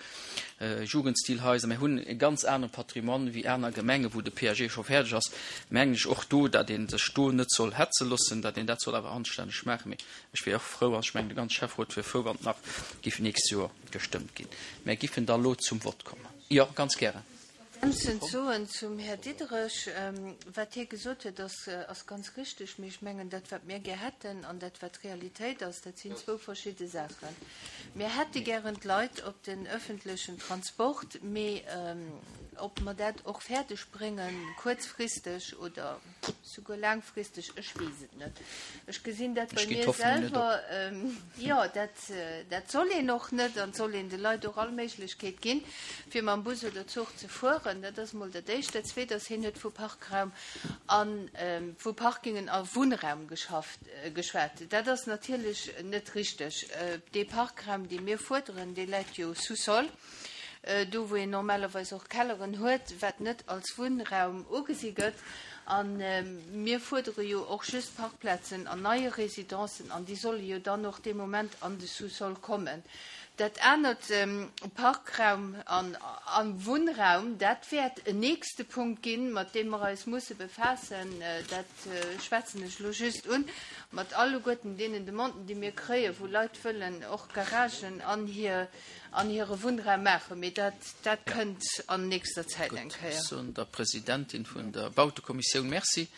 Jugendstilhaiser, mär hunn e ganz anere Patrimoine wéi aner Gemengen, wou de PAG scho fäerdeg ass, mengen ech och do, datt ee sech do net soll hetze loossen, datt een dat soll awer anstänneg maachen. Mee ech wier och frou, an ech mengen de ganze Schäfferot wier frou, wann et nach géif nächst Joer gestëmmt ginn. Mär giffen da lo zum Vott kommen. Jo, ganz gären. Ergänzend soen zum Här Diderich, Wat hie gesot huet, ass, ass ganz richtig. Mee ech mengen, dat, wat mir gär hätten, an dat, wat Realitéit ass, dat sinn zwou verschidde Saachen. Mir hätte gären d'Leit op den öffentlechen Transport, mee ob mer dat och fäerdeg bréngen, kuerzfristeg oder souguer laangfristeg, ech weess et net. Ech gesinn dat bei mir selwer, jo, dat, dat soll een och net an et soll een de Leit och all Méiglechkeet ginn, fir mam Bus oder Zuch ze fueren. Dat ass emol dat Éischt. Dat Zweet ass, hien huet vu Parkraum a vu Parkingen a Wunnraum geschafft, geschwat. Dat ass natierlech net richteg. Dee Parkraum, dee mir fuerderen, dee läit jo sous-sol. do wou een normalerweis och Kelleren huet, wat net als Wunnraum ugesi gëtt. A mir fuerdere jo och just Parkplazen an neie Residencen an déi solle jo dann och dee Moment an de Sous-sol kommen. Dat anert, Parkraum a Wunnraum, dat wäert en nächste Punkt ginn, mat deem mer eis musse befaassen. Dat schwätzen ech elo just un, mat alleguerten deenen Demanden, déi mir kréien, wou Leit wëllen och Garagen an hir, an hire Wunnraum maachen. Mee dat, dat kënnt an nächster Zäit eng Gutt, Kéier. ech soen der Presidentin vun der Bautekommissioun Merci.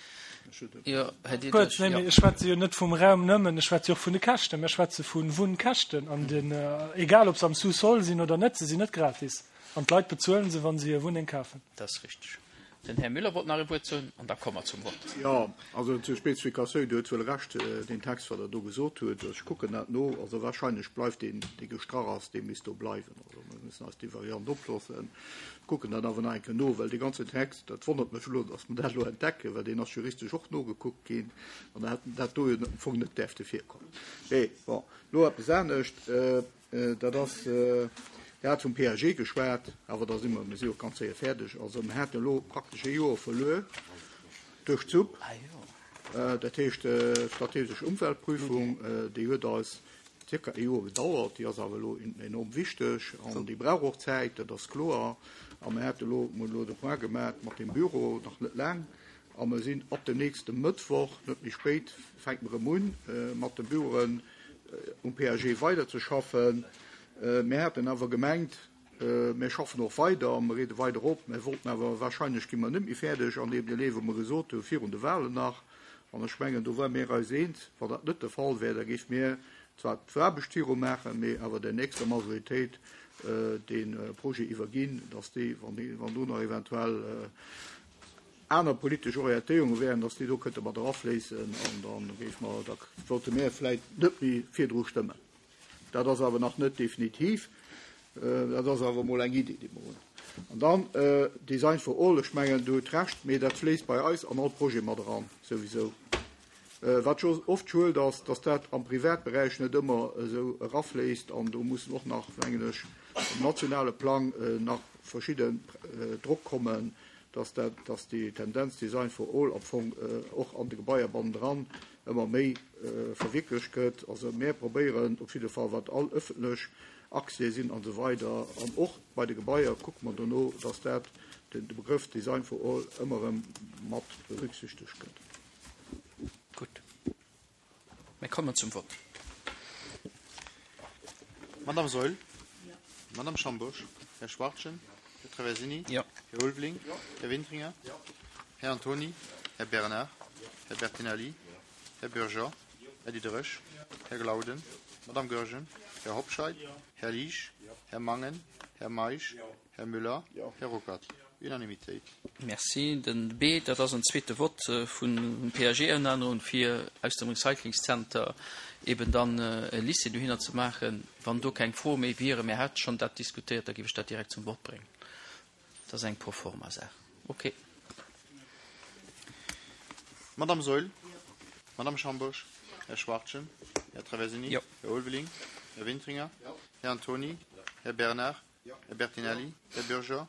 Jo, Här Diderich, Kuerz, nee, mee ech schwätze jo net vum Raum nëmmen, ech schwätze jo och vun de Käschten. Mir schwätze vu Wunnkäschten an den, egal ob se am Sous-sol sinn oder net, se sinn net gratis an d'Leit bezuelen se, wa se hir Wunneng kafen. Dat ass richteg. Den Här Müller wollt nach e Wuert soen an da komme mer zum Vott. Jo, also zur Spezifikatioun, Dir hutt wuel Recht, deen Text, wat Der do gesot hutt, ech kucken dat no. Also wahrscheinlech bleift deen, dee gestrach ass, dee misst do bleiwen. Also mir müssen eis déi Variant oploossen, kucken dat awer nach eng Kéier no, well dee ganzen Text, dat wonnert mech elo, datt mer dat elo entdecken, well deen ass juristesch och nogekuckt ginn an da hätt dat do jo am Fong net däerfte virkommen. Mee bon, elo eppes anescht, dat ass, Dir hat vum PAG geschwat, awer da si mer, mir si jo ganz séier fäerdeg. Also mir haten elo praktesch ee Joer verluer duerch d'SUP, dat heescht strategesch Umweltprüfung, déi huet eis zirka ee Joer gedauert. Déi ass awer elo enorm wichteg an déi brauch och Zäit, dat ass kloer. A mir hate elo, mir hunn elo de Point gemaach mat deem Büro, nach net laang, a mir sinn ab dem nächste Mëttwoch, net méi spéit, fänke mer erëm un, mat de Büroen um PAG weiderzeschaffen. Mir haten awer gemengt, mir schaffen och weider a mir reede weider op. Mir wollten awer, wahrscheinlech gi mer net méi fäerdeg an deem Delai, wou mer gesot hu virun de Wahlen nach, An ech mengen, do ware mir eis eens, wann dat net de Fall wär, da géife mir zwar d'Aarbecht viru maachen, mee awer der nächster Majoritéit dee Projet iwwerginn, dass déi, wann do nach eventuell aner politesch Orientéierunge wären, dass déi do kënnte mat erafléissen. An da géife mer, da sollte mir vläicht net méi virdru stëmmen. Dat ass awer nach net definitiv. Dat ass awer emol eng Iddi, déi mer hunn. An dann Design for all, ech mengen, Dir hutt Recht, mee dat fléisst bei eis an all Projet mat eran, souwisou. Wat scho oft schued ass, dass dat am Privatberäich net ëmmer esou erafléisst. An do mussen och nach, mengen ech, um nationale Plang nach verschidden Drock kommen, dass dat, dass déi Tendenz Design for all am Fong och an de Gebaier bannendran ëmmer méi verwierklecht gëtt. Also mär probéieren op jidde Fall, wat all ëffentlech Accès sinn an esou weider an och bei de Gebaier kucke mer dono, dass dat, de Begrëff Design for all ëmmer erëm mat berücksichtegt gëtt. Gutt. Mir kommen zum Vott. Madame Saeul? Madame Schambourg? Här Schwachtgen? Här Traversini? Jo. Här Ulveling? Här Wintringer? Här Antony? Här Bernard? Här Bertinelli? Här Bürger? Här Diderich? Här Glauden? Madame Goergen? Här Hobscheit? Här Liesch? Här Mangen? Här Meisch? Här Müller? Här Ruckert? Unanimitéit. Merci. Den B, dat ass en zweete Vott vun PAG-Ënnerännerung, fir aus dem Recyclingszenter eben dann e Lycée dohinner ze maachen. Wann do keng Froe méi wieren, mir hate schonn dat diskutéiert, da géif ech dat direkt zum Vott bréngen. Dat ass eng Proforma-Saach. Okay. Madame Saeul? Madame Schambourg? Här Schwachtgen? Här Traversini? Här Ulveling? Här Wintringer? Här Antony? Här Bernard? Här Bertinelli, Här Bürger,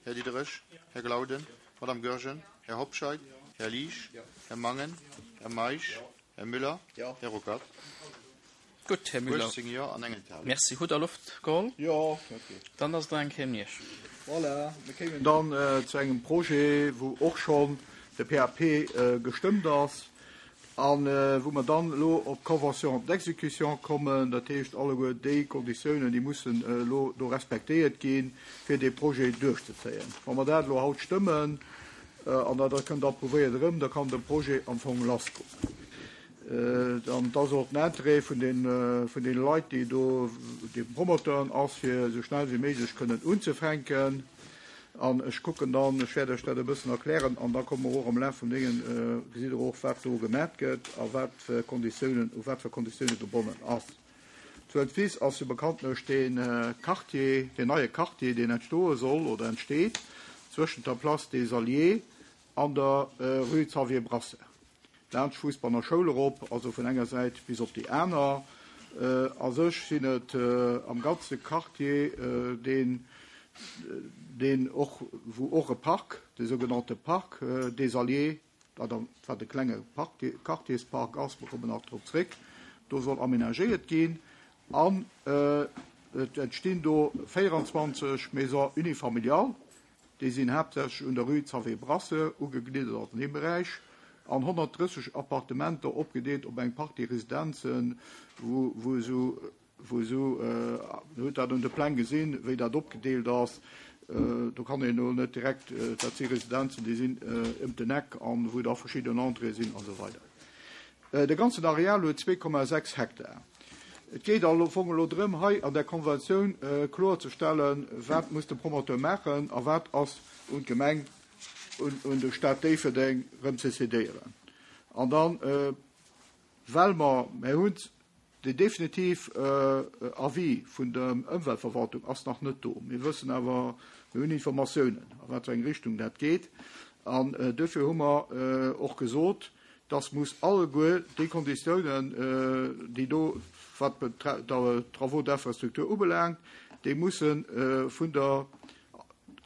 Här Diderich, Här Glauden, Madame Goergen, Här Hobscheit, Här Liesch, Här Mangen, Här Meisch, Här Müller, Här Ruckert. Gutt, Här Müller. 18 Jo an eng Enthalung. Merci. Hutt Der Loft geholl? Jo, okay. Dann ass et nach eng Kéier un Iech. Voilà, mir kéimen dann zu engem Projet, wou och schonn de PAP gestëmmt ass. A wou mer dann elo op d'Convention d'exécution kommen, dat heescht alleguer déi Konditiounen, déi mussen elo do respektéiert ginn, fir dee Projet duerchzezéien. Wa mer dat elo haut stëmmen an dat kënnt approuvéiert erëm, da kann de Projet am Fong lassgoen. An et ass och den Interêt vun deene Leit, déi do, de Promoteuren ass, fir esou schnell wéi méiglech kënnen unzefänken. An ech kucken dann, ech wäert Iech dat e bëssen erklären an da komme mer och am Laf vum Déngen, gesitt Der och, wat do gemat gëtt a wat fir Konditiounen, u wat fir Konditiounen gebonnen ass. Zu Entwis ass jo bekanntlech dee Quartier, deen neie Quartier, deen entstoe soll oder entsteet zwëschent der Place des Alliés an der Rue Xavier Brasseur. Laanscht Fuussbanner Schoul erop, also vun enger Säit bis op déi aner. A sech sinn et am ganze Quartier, deen. deen och, wou och e Park, de sougenannte Parc des Alliés, wat am, wat e klenge Park, Quartierspark ass, mer kommen nach drop zréck, do soll aménagéiert ginn an et entstinn do 24 Maisons unifamiliales, déi sinn haaptsächlech un der Rue Xavier Brasseur ugegliddert, also an deem Beräich, an 130 Appartementer opgedeelt op eng Partie Residenzen, wou, wou esou wou esou, Dir hutt dat un de Pläng gesinn, wéi dat opgedeelt ass, do kann een elo net direkt, dat si Residenzen, déi sinn ëm den Eck an wou da verschidden Entréeë sinn an esou weider. De ganzen Areal huet 2,6 Hektar. Et geet am Fong elo drëm, hei an där Konventioun kloerzestellen, wat muss de Promoteur maachen a wat ass un d'Gemeng, un de Stad Déifferdeng erëm ze cédéieren. An dann, well mer, mer hunn Den definitiv Avis vun der Ëmweltverwaltung ass nach net do. Mir wëssen awer, mir hunn Informatiounen, a wat fir eng Richtung dat geet. An duerfir hu mer och gesot, dass muss alleguer déi Konditiounen, déi do, wat d'Travaux d'infrastructure ubelaangt, déi musse vun der,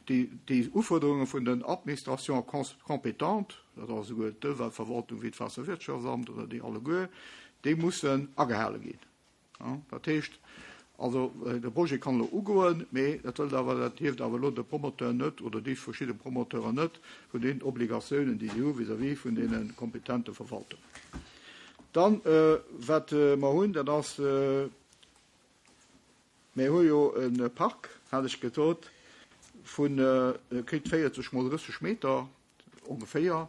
déi Ufuerderunge vun den Administrations compétentes, dat ass esouguer d'Ëmweltverwaltung wéi d'Waasserwirtschaftsamt oder déi alleguer, déi mussen agehale ginn. Dat heescht also, de Projet kann elo ugoen, mee dat wëllt awer, dat hieft awer elo de Promoteur net oder déi verschidde Promoteuren net vun deenen Obligatiounen, déi si hu vis-à-vis vun deene kompetente Verwaltungen. Dann, wat mer hunn, dat ass, Mir hu jo e Park, hat ech gesot, vun, e kritt 40 mol 30 Meter ongeféier.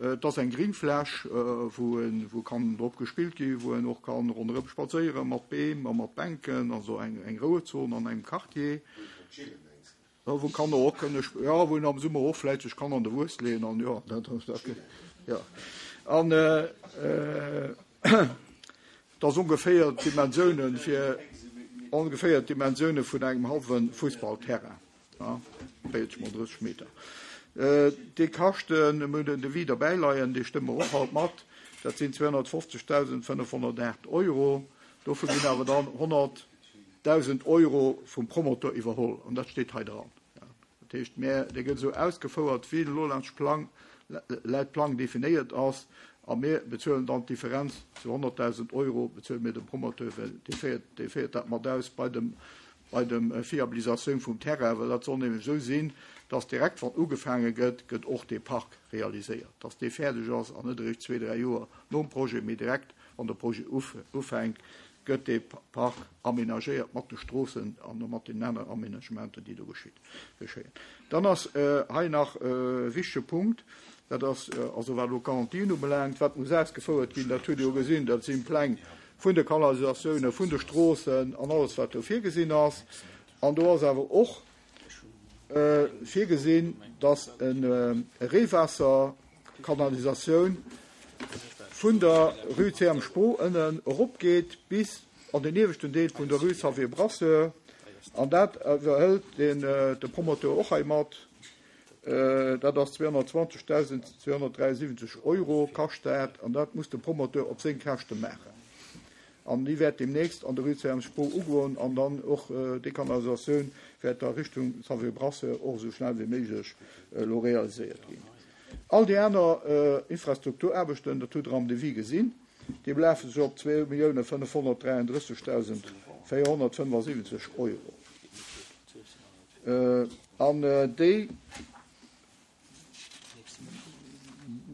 Et ass eng Gringfläch, wou e wou kann drop gespillt ginn, wou en och kann ronderëm spadséiere mat Beem a mat Bänken, also eng eng Rouezon an engem Quartier. Jo, wou Kanner och kënne, jo, wou een am Summer och vläicht sech kann an de Wues leeën an jo, dat, dat, jo. An dat ass ongeféier d'Dimensiounen fir, ongeféier d'Dimensioune vun engem hallwe Fussballterrain, ja, 40 mol 30 Meter. Déi Käschten, mir hunn den Devis derbäi leien, dee stëmme mer och haut mat, dat sinn 250.508 Euro. Dovu ginn awer dann 100. 1.000 Euro vum Promoteur iwwerholl, an dat steet hei dran. Dat heescht, mä dee gëtt esou ausgefouert, wéi en elo laanscht Plang, laut Plang definéiert ass, a mir bezuelen dann d'Differenz zu 100.000 Euro bezuele mir dem Promoteur, well dee féiert, dee féiert dat mat aus bei dem, bei dem Fiabilisatioun vum Terrain, well dat soll nämlech esou sinn, dass direkt wann ugefaange gëtt, gëtt och dee Park realiséiert, dass dee fäerdeg ass an net eréischt zwee, dräi Joer nom Projet, mee direkt wann de Projet ufänkt, gëtt dee Park aménagéiert mat de Stroossen an mat deenen aneren Aménagementen, déi do geschéien. Dann ass hei nach e wichtege Punkt, dat ass also wat elo d'Garantien ubelaangt, wat muss ausgefouert ginn, dat hutt Dir jo gesinn, dat sinn d'Pläng vun de Kanalisatiounen, vun de Stroossen an alles wat do virgesinn ass. An do ass awer och virgesinn, dass e Reewaasserkanalisatioun vun der Rue CM Spoo ënnen eropgeet bis an den ieweschten Deel vun der Rue Xavier Brasseur. An dat iwwerhëlt de Promoteur och hei mat. Dat ass 220.273 Euro kascht dat an dat muss de Promoteur op seng Käschte maachen. An déi wäert deemnächst an der Rue CM Spoo ugoen an dann och d'Dekanalisatioun wäert da Richtung Xavier Brasseur och esou schnell wéi méiglech elo realiséiert ginn. All déi aner Infrastrukturaarbechten, dat hutt Der am Devis gesinn, déi belafe sech op 2.533.475 Euro. An déi.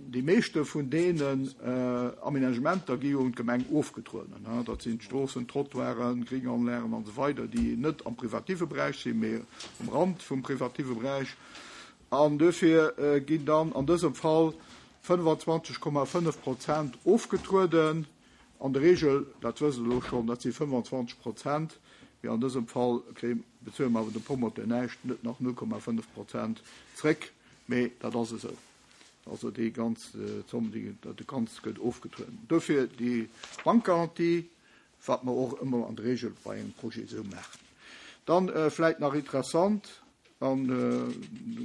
Déi meeschte vun deenen Aménagementer gi jo un d'Gemeng ofgetrueden. Dat sinn d'Stroossen, d'Trottoiren, Gringanlagen an esou weider, déi net am privative Beräich sinn, mee um Rand vum privative Beräich. An duerfir ginn dann an dësem Fall 25,5 Prozent ofgetrueden. An der Regel, dat wësst Der elo schonn, dat si 25 Prozent, mee an dësem Fall bezuele mer awer dem Promoteur näischt, net nach 0,5 Prozent zréck, mee dat ass esou. Also déi ganz Zomm, déi, dat Ganzt gëtt ofgetrueden. Dofir déi Bankgarantie, wat mer och ëmmer an der Regel bei engem Projet esou maachen. Dann vläicht nach interessant, An do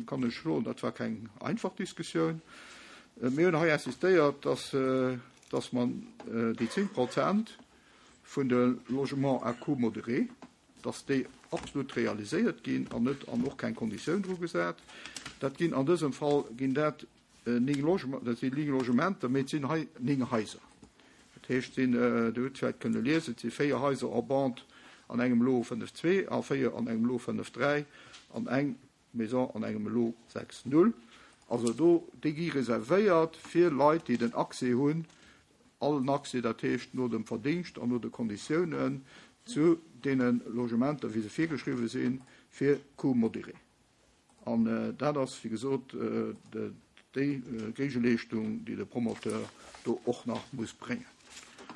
kann ech soen, dat war keng einfach Diskussioun. Mir hunn hei insistéiert, dass, dass mer déi 10 Prozent vun de Logements à coût modéré. Dass déi absolut realiséiert ginn an net an och keng Konditioun dru gesat. Dat ginn an dësem Fall ginn dat 9 Logement, dat sinn 9 Logementer, mee et sinn hei 9 Haiser. Dat heescht, sinn, Dir hutt vläicht kënne liesen, et si 4 Haiser en bande an engem Lot 5 2 a 4 an engem Lot 5 3 an eng Maison an engem Lot 6 0. Also do, déi gi reservéiert fir Leit, déi den Accès hunn allen Accès, dat heescht no dem Verdingscht an no de Konditiounen, zu deene Logementer, wéi se virgeschriwwen sinn, fir Coût modéré. An dat ass, wéi gesot, déi Géigeleeschtung, déi de Promoteur do och nach muss bréngen.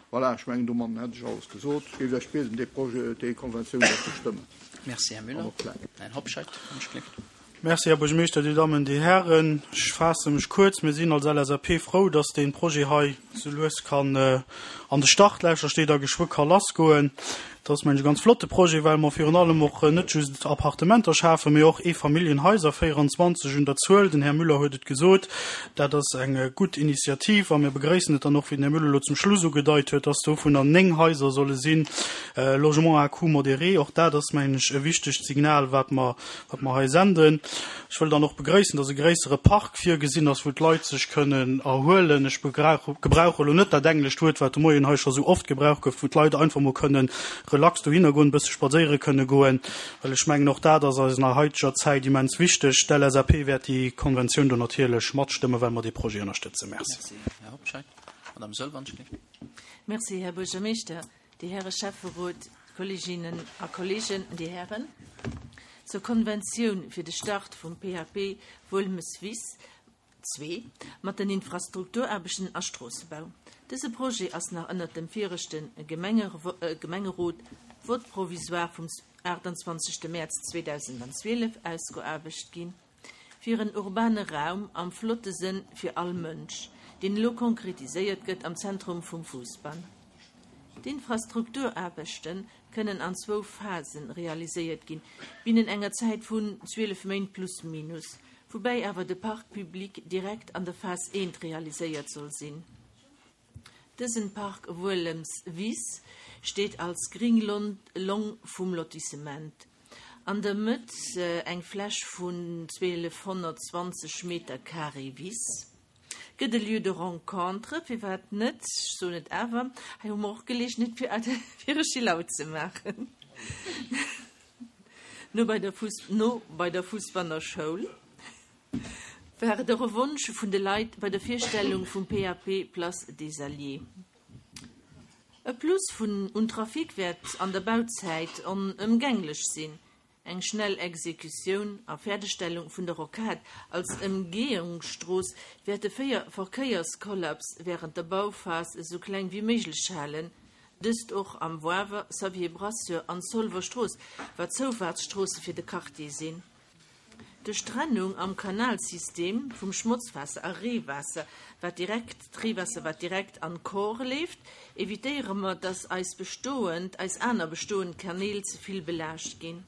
Voilà, ech mengen, domatten hätt ech alles gesot. Ech géif Iech bieden, dee Projet, déi Konventioun da ze stëmmen. Merci, Här Müller. Här Hobscheit, wann ech gleeft. Merci, Här Buergermeeschter, Dir Dammen, Dir Hären. Ech faasse mech kuerz. Mir sinn als LSAP frou, dass dee Projet hei sou lues kann an de Startlächer steet a geschwë ka lassgoen. Dat ass, mengen ech, e ganz flotte Projet, well mer virun allem och net just Appartementer schafen, mee och Eefamilljenhaiser, 24 un der Zuel, den Här Müller huet et gesot. Dat ass eng gutt Initiativ a mir begrëissen et dann och, wéi den Här Müller elo zum Schluss ugedeit huet, dass dovunner 9 Haiser solle sinn, Logements à coût modéré. Och dat ass, mengen ech, e wichtegt Signal, wat mer wat mer hei senden. Ech wëll dann och begréissen, dass e gréissere Park virgesinn ass, wou d'Leit sech kënnen erhuelen. Ech gebrauche elo net dat englescht Wuert, wat de Moien hei scho sou oft gebraucht gouf, wou d'Leit einfach mol kënnen relax dohinner goen, e bësse spadséiere kënne goen, well ech mengen, och dat ass eisener haiteger Zäit immens wichteg. D'LSAP wäert déi Konventioun do natierlech matstëmmen, well mer dee Projet ënnerstëtzen. Merci. Merci, Här Hobscheit. Madame Sölvanschlicht. Merci, Här Buergermeeschter. Dir Häre Schäfferot, Kolleeginnen a Kolleegen, Dir Hären, zur Konventioun fir de Start vum PAP Wuelmes-Wiss 2 mat den Infrastrukturaarbechten a Stroossebau. Dëse Projet ass nach ënnert dem viregte Gemengerot, Vote provisoire vum 28 Mäerz 2012, ausgeaarbecht ginn. Fir en urbane Raum am flotte Sënn fir all Mënsch, deen elo konkretiséiert gëtt am Zentrum vum Fousbann. D'Infrastrukturaarbechte kënnen an zwou Phase realiséiert ginn, binnen enger Zäit vun 12 Méint plus minus, woubäi awer de Parc public direkt an der Phas eent realiséiert soll sinn. Dësen Park Wuelems Wiss steet als gring Long vum Lotissement. An der Mëtt eng Fläch vun 1220 Meter carré Wiss. Gëtt e Lieu de rencontre, firwat net, ech soen et awer, hei hu mer och Geleegenheet fir e Chill-out ze maachen, no bei der no bei der Fussbanner Schoul. War et och e Wonsch vun de Leit bei der Virstellung vum PAP Place des Alliés. E Plus vun un Trafic wäert an der Bauzäit onëmgänglech sinn. Eng schnell Exekutioun a Fäerdegstellung vun der Rocade als Ëmgehungsstrooss wäert de Verkéierskollaps wärend der Bauphas esou kleng wéi méiglech halen, dëst och am Woawer, Xavier Brasseur an Zolwer Strooss, wat Zoufaartsstroosse fir de Quartier sinn. Duerch d'Trennung am Kanalsystem vum Schmotzwaasser a Reewaasser, wat direkt, d'Reewaasser wat direkt an d'Kor leeft, evitéiere mer, dass eis bestoend, eis aner bestoend Kanäl ze vill belaascht ginn.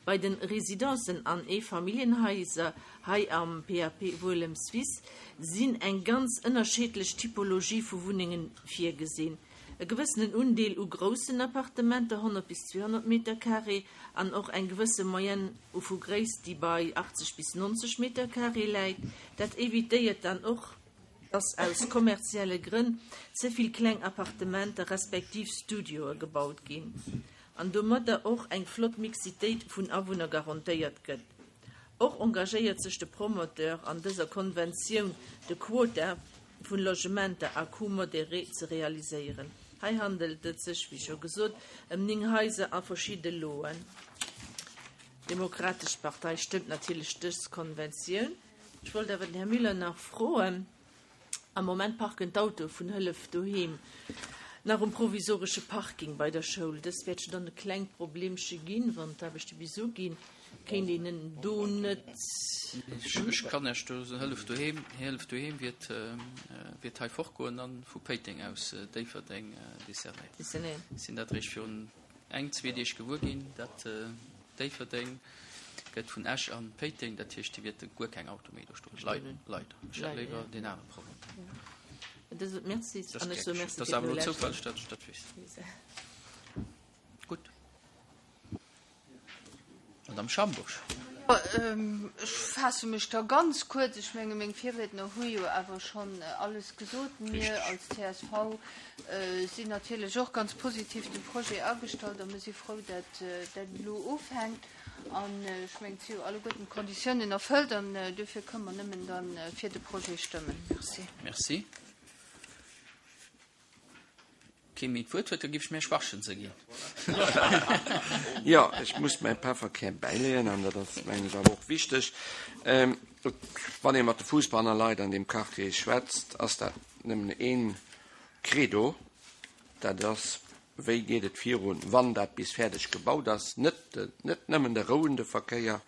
Bei den Residencen an Eefamilljenhaiser hei am PAP Wuelems-Wiss sinn eng ganz ënnerscheedlech Typologie vu Wunnengen virgesinn. E gewëssenen Undeel u groussen Appartementer, 100 bis 200 Meter carré, an och eng gewësse Moyenne vu Gréisst, déi bei 80 bis 90 Meter carré läit. Dat evitéiert dann och, dass aus kommerzielle Grënn ze vill kleng Appartementer respektiv Studioe gebaut ginn an domadder och eng flott Mixitéit vun Awunner garantéiert gëtt. Och engagéiert sech de Promoteur an dëser Konventioun, de Quota vun Logementer à coût modéré ze realiséieren. Hei handelt et sech, wéi scho gesot, ëm 9 Haiser a verschidde Loen. D'Demokratesch Partei stëmmt natierlech dës Konventioun. Ech wollt awer den Här Müller nach froen, Am Moment parken d'Autoe vun Hëllef Doheem nach um provisoresche Parking bei der Schoul. Dëst wäert jo dann e klengt Problemche ginn, wann d'Aarbechte bis uginn. Kéint een en do net. Ech kann Iech do soen, Hëllef Doheem, Hëllef Doheem wiert, wiert hei fortgoen an vu Péiteng aus Déifferdeng desservéiert. Ech sinn dat eréischt virun eng, zwee Deeg gewuer ginn, dat Déifferdeng gëtt vun Esch an Péiteng, dat heescht, déi wierte guer keng Auto méi do stoen. Leider, leider. Ech hätt léiwer deen anere Problem. Merci. Dat ass awer elo zoufälleg, datt ech dat weess. Gutt. Madame Schambourg. Ech faasse mech da ganz kuerz. Ech menge meng Virriedner hu jo awer schonn alles gesot. Mir als csv sinn natierlech och ganz positiv dem Projet agestallt a mir si frou, dat dat elo ufänkt. An ech mengen, et si jo alleguerten d'Konditiounen erfëllt an duerfir kënne mer nëmmen da fir de Projet stëmmen. Merci. Merci. Kee méi d'Wuert huet, da géif ech dem Här Schwachtgen se ginn. Jo, ech muss mäi Pefferkär bäileeën an dat ass, mengen ech, awer och wichteg. Wann ee mat de Fussballer Leit an deem Quartier schwätzt, ass dat nëmmen een Credo, dat ass, Wéi geet et virun, wann dat bis fäerdeg gebaut ass? Net, net nëmmen de rouende Verkéier,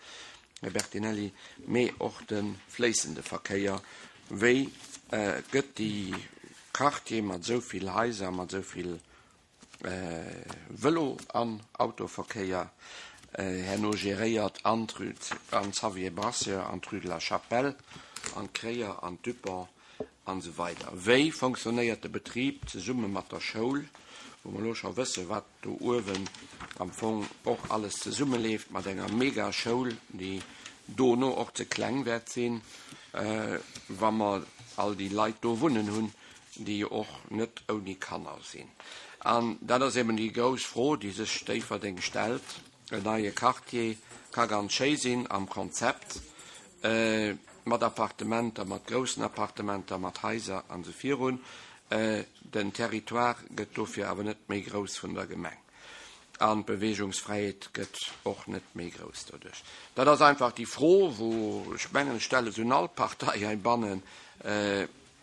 Här Bertinelli, mee och de fléissende Verkéier. Wéi gëtt déi Quartier mat esou vill Haiser, mat esou vill Vëlo an Autoverkéier herno geréiert an d'Rue an d'Xavier Brasseur, an d'Rue de la Chapelle, an d'Kréier, an d'Dupont an esou weider. Wéi fonctionnéiert de Betrib zesumme mat der Schoul, wou mer elo scho wësse wat do uewen am Fong och alles zesummeleeft mat enger Mega-Schoul, déi dono och ze kleng wäert sinn, wa mer all déi Leit do wunnen hunn, déi jo och net ouni Kanner sinn. An dat ass eben déi grouss Fro, déi sech Déifferdeng stellt. En neie Quartier ka ganz schéi sinn am Konzept, mat Appartementer, mat groussen Appartementer, mat Haiser an esou virun. Den Territoire gëtt dofir awer net méi grouss vun der Gemeng an d'Beweegungsfräiheet gëtt och net méi grouss doduerch. Dat ass einfach déi Fro, wou ech mengen, ech stelle se un all Partei heibannen,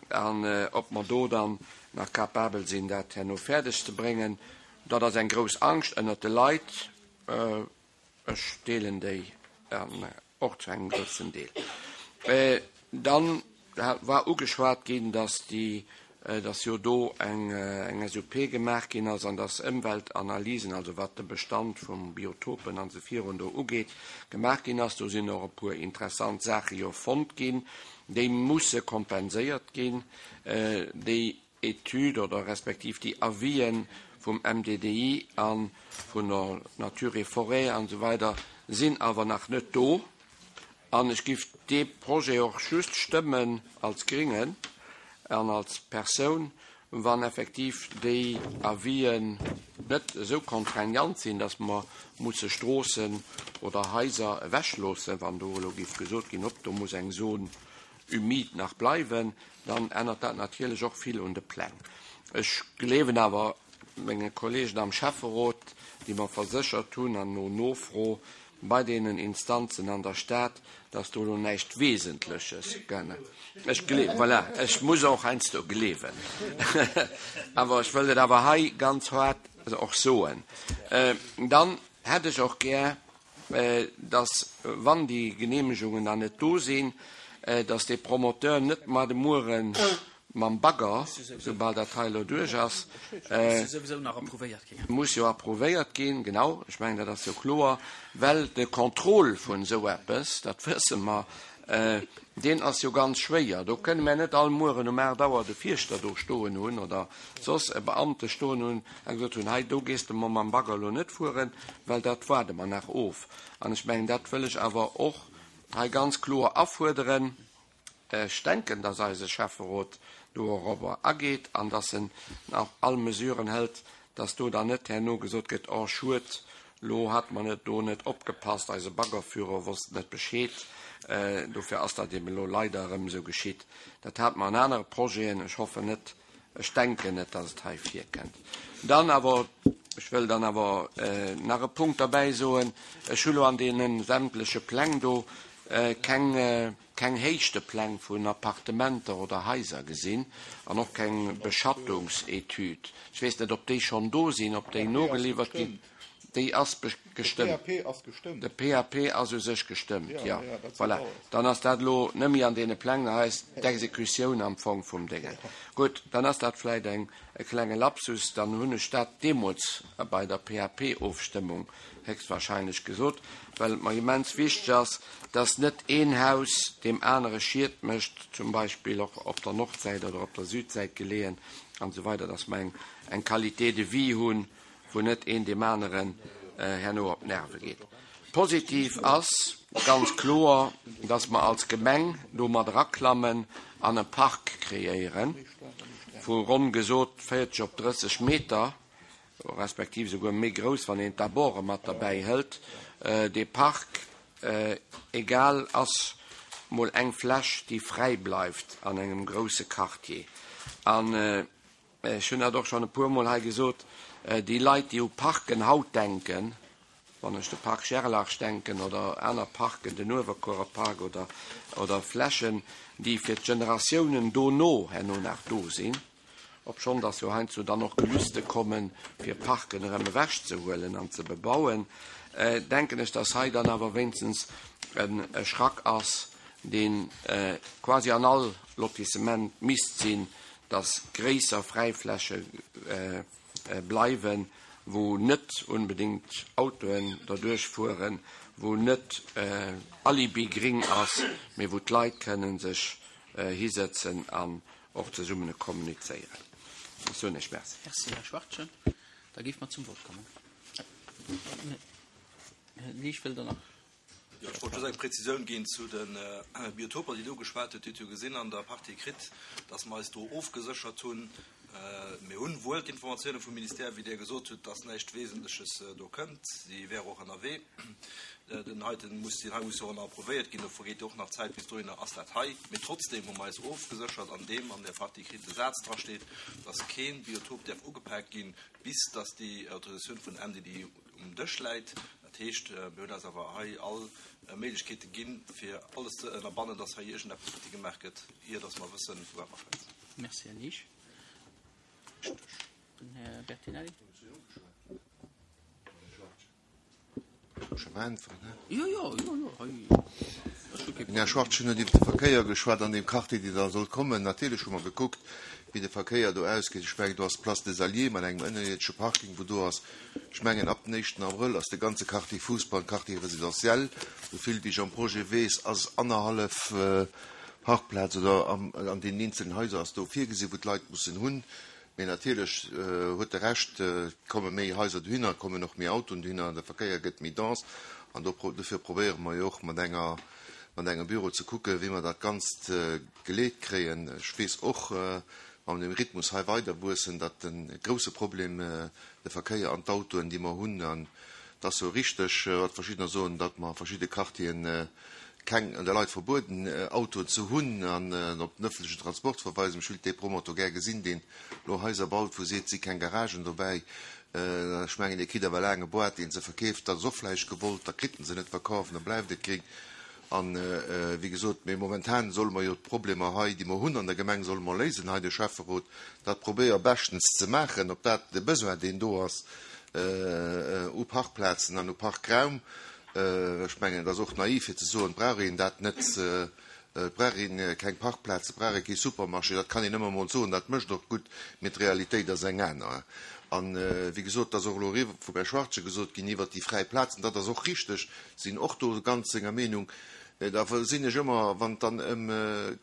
an ob mer do dann nach capabel sinn, dat herno fäerdeg ze bréngen. Dat ass eng grouss Angscht ënnert de Leit. Ech deelen déi och zu engem groussen Deel. Dann war ugeschwat ginn, dass déi, dass jo do eng eng SUP gemaach ginn ass an dass Ëmweltanalysen, also wat de Bestand vum Biotopen an esou virun do ugeet, gemaach ginn ass. Do sinn och e puer interessant Saache jo fonnt ginn, déi musse kompenséiert ginn. Déi Etüd oder respektiv déi Avisë vum MDDI a vun der Nature et Forêt an esou weider sinn awer nach net do. An ech giff dee Projet och just stëmmen als Gringen an als Persoun, wann effektiv déi Avisën net esou contraignant sinn, datt mer musse Stroossen oder Haiser ewechloossen, wann do elo giff gesot ginn, hopp, do muss eng Zone humide nach bleiwen, dann ännert dat natierlech och vill un de Pläng. Ech gleewen awer menge Kollegen am Schäfferot, déi mer verséchert hunn, an no Nofro bei deenen Instanzen an der Stad, dass do elo näischt Wesentleches geännert. Ech gleewen, voilà, ech muss och heiansdo gleewen, awer ech wëll et awer hei ganz haart och soen. Dann hätt ech och gär, dass, wann déi Genehmegungen dann net do sinn, dass dee Promoteur net mar de Muere mam Bagger, soubal dat hei elo duerch ass, muss jo approuvéiert ginn, genau, ech mengen, dat ass jo kloer, well de Contrôle vun esou eppes, dat wësse mer, deen ass jo ganz schwéier. Do kënne mer net all Mueren um 8 Auer de Fierschter do stoen hunn oder soss e Beamte stoen hunn a gesot hunn, hei do gees de mer mam Bagger elo net fueren, well dat waarde mer nach of. An ech mengen, dat wëll ech awer och hei ganz kloer afuerderen. Ech denken, dass eise Schäfferot dorobber ageet an dass en och all Mesuren hëlt, dass do dann net herno gesot gëtt, Oh schued, lo hat mer net do net opgepasst, eise Baggerführer wosst net Bescheed, dofir ass dat eben elo leider erëm esou geschitt. Dat hate mer an anere Projeten. Ech hoffen net, Ech denken net, dass et hei virkënnt. Dann awer, ech wëll dann awer nach e Punkt derbäi soen, Ech hu lo an deene sämtleche Pläng do keng, keng Héichtepläng vun Appartementer oder Haiser gesinn an och keng Beschattungsetüd. Ech weess net, ob déi schonn do sinn, ob déi nogeliwwert ginn. Déi ass gestëmmt. De PAP ass gestëmmt. De PAP ass u sech gestëmmt, jo. Voilà. Dann ass dat elo net méi an deene Pläng, da heist d'Exekutioun am Fong vum Déngen. Gutt, dann ass dat vläicht eng, e klenge Lapsus. Dann hunn ech dat deemools bei der PAP-Ofstëmmung héchstwahrscheinlech gesot, well et mer immens wichteg ass, dass net een Haus deem anere Schied mécht, zum Beispill och op der Nordsäit oder op der Südsäit geleeën an esou weider, dass mer eng, eng Qualité de vie hunn, wou net een deem aneren herno op d'Nerve geet. Positiv ass ganz kloer, dass mer als Gemeng do mat eraklammen an e Park kreéiere vu ronn gesot 40 op 30 Meter, respektiv esouguer méi grouss, wann een d'Aborde mat derbäi hëlt. Dee Park, egal, ass mol eng Fläch, déi fräi bleift an engem grousse Quartier. An ech hunn dat och schonn e puermol hei gesot, déi Leit, déi u Parken haut denken, wann ech de Parc Gerlach denken oder aner Parken, den Uewerkuerer Park oder, oder Flächen, déi fir d'Generatiounen dono herno nach do sinn, obschonn dass jo heiansdo dann och Gelüste kommen, fir Parken erëm ewechzehuelen an ze bebauen, denken ech, dass hei dann awer wéinstens e Schrack ass, dee quasi an all Lotissement misst sinn, dass gréisser Fräifläche bleiwen, wou net unbedéngt Autoen derduerch fueren, wou net Alibi-Gring ass, mee wou d'Leit kënnen sech hisëtzen an och zesummene kommunizéieren. Ech soen Iech Merci. Merci, Här Schwachtgen. Da géife mer zum Vott kommen. Här Liesch, wëllt Der nach? Jo, ech wollt just eng Präzisioun ginn zu de Biotoper, déi Der ugeschwat hutt. Dir hutt jo gesinn an der Partie écrite, dass mer eis do ofgeséchert hunn. Mir hunn wuel d'Informatioune vum Ministère, wéi Dir gesot hutt, dass näischt Wesentleches do kënnt. Si wäre och ënnerwee. Den heiten muss, deen hei muss jo och nach approuvéiert ginn. Do vergeet jo och nach Zäit. Bis dohinner ass dat hei. Mee trotzdeem hu mer eis ofgeséchert, an deem an der Partie écrite de Saz drasteet, dass kee Biotop däerf ugepaakt ginn, bis dass déi Autorisatioun vun MDD um Dësch läit. Dat heescht, mir hunn eis awer hei all Méiglechkeete ginn, fir alles ze ënnerbannen, dass hei iergendeppes futti gemaach gëtt, ier dass mer wëssen, vu wat mer schwätzen. Merci, Här Liesch. Den Här Bertinelli. Den Här Schwartz huet iwwer de Verkéier geschwat an deem Quartier, dee da soll kommen. Natierlech hu mer gekuckt, wéi de Verkéier do ausgeet. Ech mengen, do ass d'Place des Alliés mat engem ënnerierdesche Parking, wou do ass. Ech mengen, ab den éischten Abrëll ass de ganze Quartier Fussball Quartier résidentiel. Esou vill wéi ech am Projet weess, ass annerhallef Parkplaz oder an deenen eenzelen Haiser ass do virgesinn, wou d'Leit mussen hunn. Mee natierlech huet e Recht, et komme méi Haiser dohinner, et kommen och méi Autoen dohinner, de Verkéier gëtt méi dense. An dofir probéiere mer jo och mat enger, mat engem Büro ze kucken, wéi mer dat Ganzt geleet kréien. Ech weess och, wa mer dem Rhythmus hei weiderwuessen, datt de grousse Problem de Verkéier an d'Autoen, déi mer hunn, an et ass jo richteg, wat verschiddener soen, datt mer a verschidde Quartieren keng, de Leit verbueden, Autoen ze hunn an op den ëffentlechen Transport verweisen. Ech wéilt dee Promotor gär gesinn, deen elo Haiser baut, wou seet, et si keng Garagen dobäi. Ech mengen, dee kritt awer laang e Boîte, dee se verkeeft. Dat ass och vläicht gewollt, da kritt en se net verkaf an da bleift et gréng. An, wéi gesot, mee momentan solle mer jo d'Problemer hei, déi mer hunn an der Gemeng, solle mer léisen hei, de Schäfferot dat probéier beschtens ze maachen, ob dat de Besoin, deen do ass u Parkplazen an u Parkraum, Ech mengen, et ass och naiv fir ze soen, et brauch een dat net, et brauch ee keng Parkplazen, et brauch ee kee Supermarché. Dat kann een ëmmer emol soen, dat mécht och gutt, mee d'Realitéit ass eng aner. An, wéi gesot, et ass och elo eriwwer vum Här Schwartze gesot ginn iwwert déi fräi Plazen, dat ass och richteg, sinn och do ganz senger Meenung. Da sinn ech ëmmer, wann et dann ëm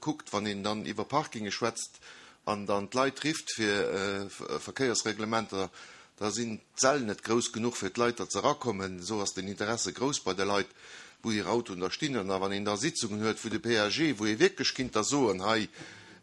kuckt, wann een dann iwwer Parkinge schwätzt an dann d'Leit rifft fir Verkéiersreglementer, Da sinn d'Säll net grouss genuch fir d'Leit, datt se erakommen. Esou ass den Interesse grouss bei de Leit, wou hir Autoen da stinn. An da wann een da Sitzungen huet wou de PAG, wou ee wierklech kinnt da soen, hei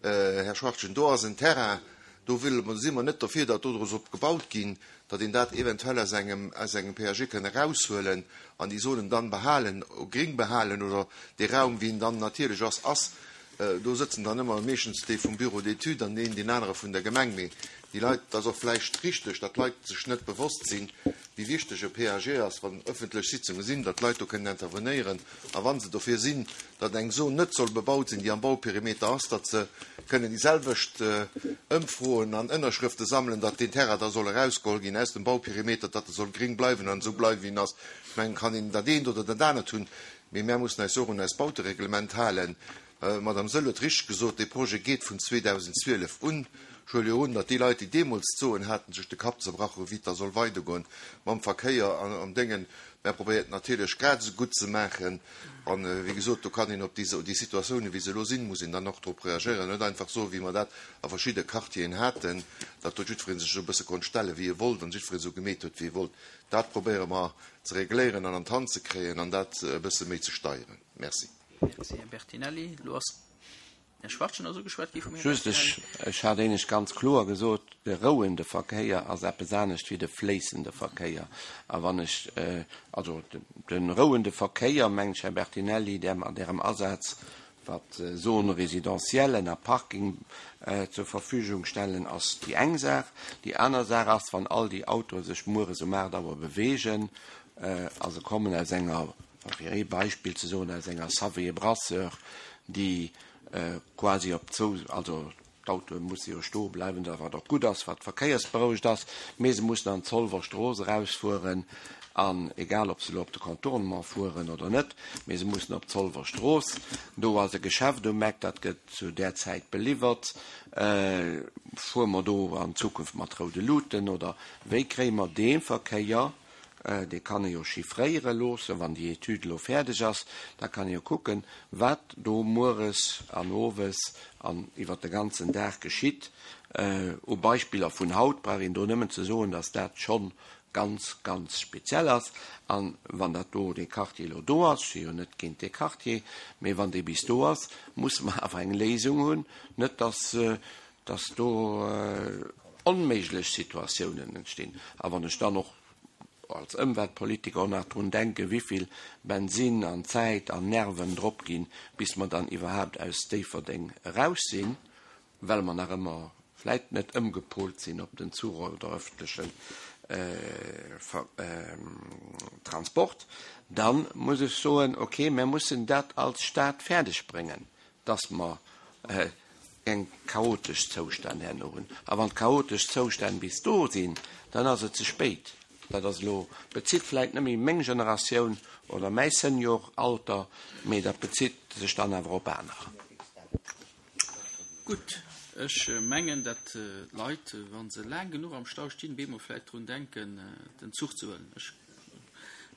Här Schwachtgen, do ass en Terrain, do wëlle mer, si mer net derfir, datt do dru soll gebaut ginn, datt een dat eventuell aus engem, aus engem PAG kënn eraushuelen an déi Zonen dann behalen, gring behalen oder dee Raum, wéi en dann natierlech ass, ass. Do sëtzen dann ëmmer meeschtens déi vum Bureau d'études an deen, deen anere vun der Gemeng. Mee déi Leit, et ass och vläicht richteg, datt d'Leit sech net bewosst sinn, wéi wichteg e PAG ass, wann ëffentlech Sitzunge sinn, datt d'Leit do kënnen intervenéieren. A wa se dofir sinn, datt eng Zon net soll bebaut sinn, déi am Bauperimeter ass, datt se kënnen déi selwecht Ëmfroen an Ënnerschrëfte sammelen, datt deen Terrain da soll erausgeholl ginn aus dem Bauperimeter, datt e soll gréng bleiwen an esou bleiwen, wéi en ass. Ech mengen, kann een dat eent oder dat anert hunn. Mee mär mussen eis och un eist Bautereglement halen. D'Madame Saeul huet richteg gesot, dee Projet geet vun 2012 un. Ech huele jo un, datt déi Leit, déi deemools d'Soen haten, sech de Kapp zerbrach hunn, wéi et da soll weidergoen mam Verkéier an am Déngen. Mär probéiert natierlech grad esou gutt ze maachen. An, wéi gesot, do kann een op déi Situatiounen, wéi se elo sinn, muss een dann och drop reagéieren an net einfach soen, wéi mer dat a verschidde Quartieren haten, datt do jiddweree sech esou e bësse konnt stellen, wéi e wollt an jiddweree esou gemeet huet, wéi e wollt. Dat probéiere mer ze regléieren an an d'Hand ze kréien an dat e bësse méi ze steieren. Merci. Merci, Här Bertinelli. Elo ass Här Schwachtgen ass ugeschwat gi vum Här Just, ech, ech hat éinescht ganz kloer gesot, de rouende Verkéier ass eppes anescht wéi de fléissende Verkéier. A wann ech, also de rouende Verkéier, mengt ech, Här Bertinelli, där mat Ärem Asaz, wat Zones résidentielles a Parking zur Verfügung stellen, ass déi eng Saach. Déi aner Saach ass, wann all déi Autoe sech mueres um 8 Auer beweegen a se kommen aus enger Fir ee Beispill ze soen, aus enger Savie Brasseur, déi quasi op zou, also d'Autoe musse jo stoe bleiwen, da wat och gutt ass, wat verkéiersberouegt ass, mee se mussen an d'Zolwer Strooss erausfueren an egal ob se elo op de Contournement fueren oder net, mee se mussen op d'Zolwer Strooss. Do ass e Geschäft um Eck, dat gëtt zu där Zäit beliwwert. Fuere mer do an Zukunft mat roude Luuten oder wéi kréie mer dee Verkéier Dee kann ee jo chiffréiere loossen, wann déi Etüd elo fäerdeg ass. Da kann ee jo kucken, wat do mueres an owes an iwwert de ganzen Dag geschitt. U Beispiller vun haut brauch een do nëmmen ze soen, dass dat schonn ganz, ganz speziell ass. A wann dat do, dee Quartier elo do ass, ech si jo net géint dee Quartier, mee wann dee bis do ass, musse mer awer eng Léisung hunn, net dass dass do onméiglech Situatiounen entstinn. A wann ech dann och als Ëmweltpolitiker och nach drun denken, wivill Bensin an Zäit an Nerven drop ginn, bis mer dann iwwerhaapt aus Déifferdeng eraus sinn, well mer nach ëmmer vläit net ëmgepolt sinn op den Zuch oder öffentlechen Transport, da muss ech soen, okay, mer mussen dat als Stad fäerdegbréngen, dass mer keng chaotesch Zoustänn herno hunn. A wann d'chaotesch Zoustänn bis do sinn, dann ass et ze spéit. Dat ass elo, bezitt vläit net méi meng Generatioun oder mäi Senioralter, mee dat bezitt sech dann awer op anerer. Gutt, ech mengen, datt d'Leit, wa se laang genuch am Stau stinn, bemol vläit drun denken, den Zuch ze huelen. Ech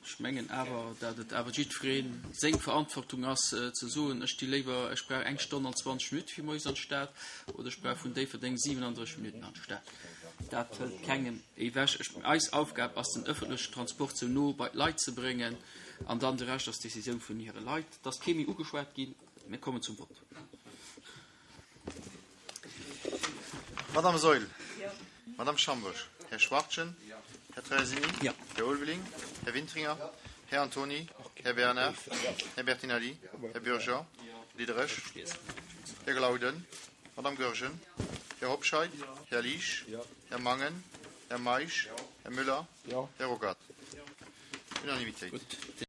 Ech mengen awer, dat et awer jiddweree seng Verantwortung ass, ze soen, ech sti léiwer, ech brauch eng Stonn an 20 Minutte fir moies an d'Stad oder ech brauch vun Déifferdeng 37 Minutten an d'Stad. Dat hëlt kengem ewech. Ech, eis Aufgab ass, den öffentlechen Transport sou no bei d'Leit ze bréngen an dann de Rescht ass d'Decisioun vun hire Leit. Et ass kee méi ugeschwat ginn. Mir kommen zum Vott. Madame Saeul. Madame Schambourg. Här Schwachtgen. Här Traversini. Här Ulveling. Här Wintringer. Här Antoni. Här Bernard. Här Bertinelli. Här Bürger. Diderich. Här Glauden. Madame Goergen. Här Hobscheit. Här Liesch. Här Mangen. Här Meisch. Här Müller. Här Ruckert. Unanimitéit.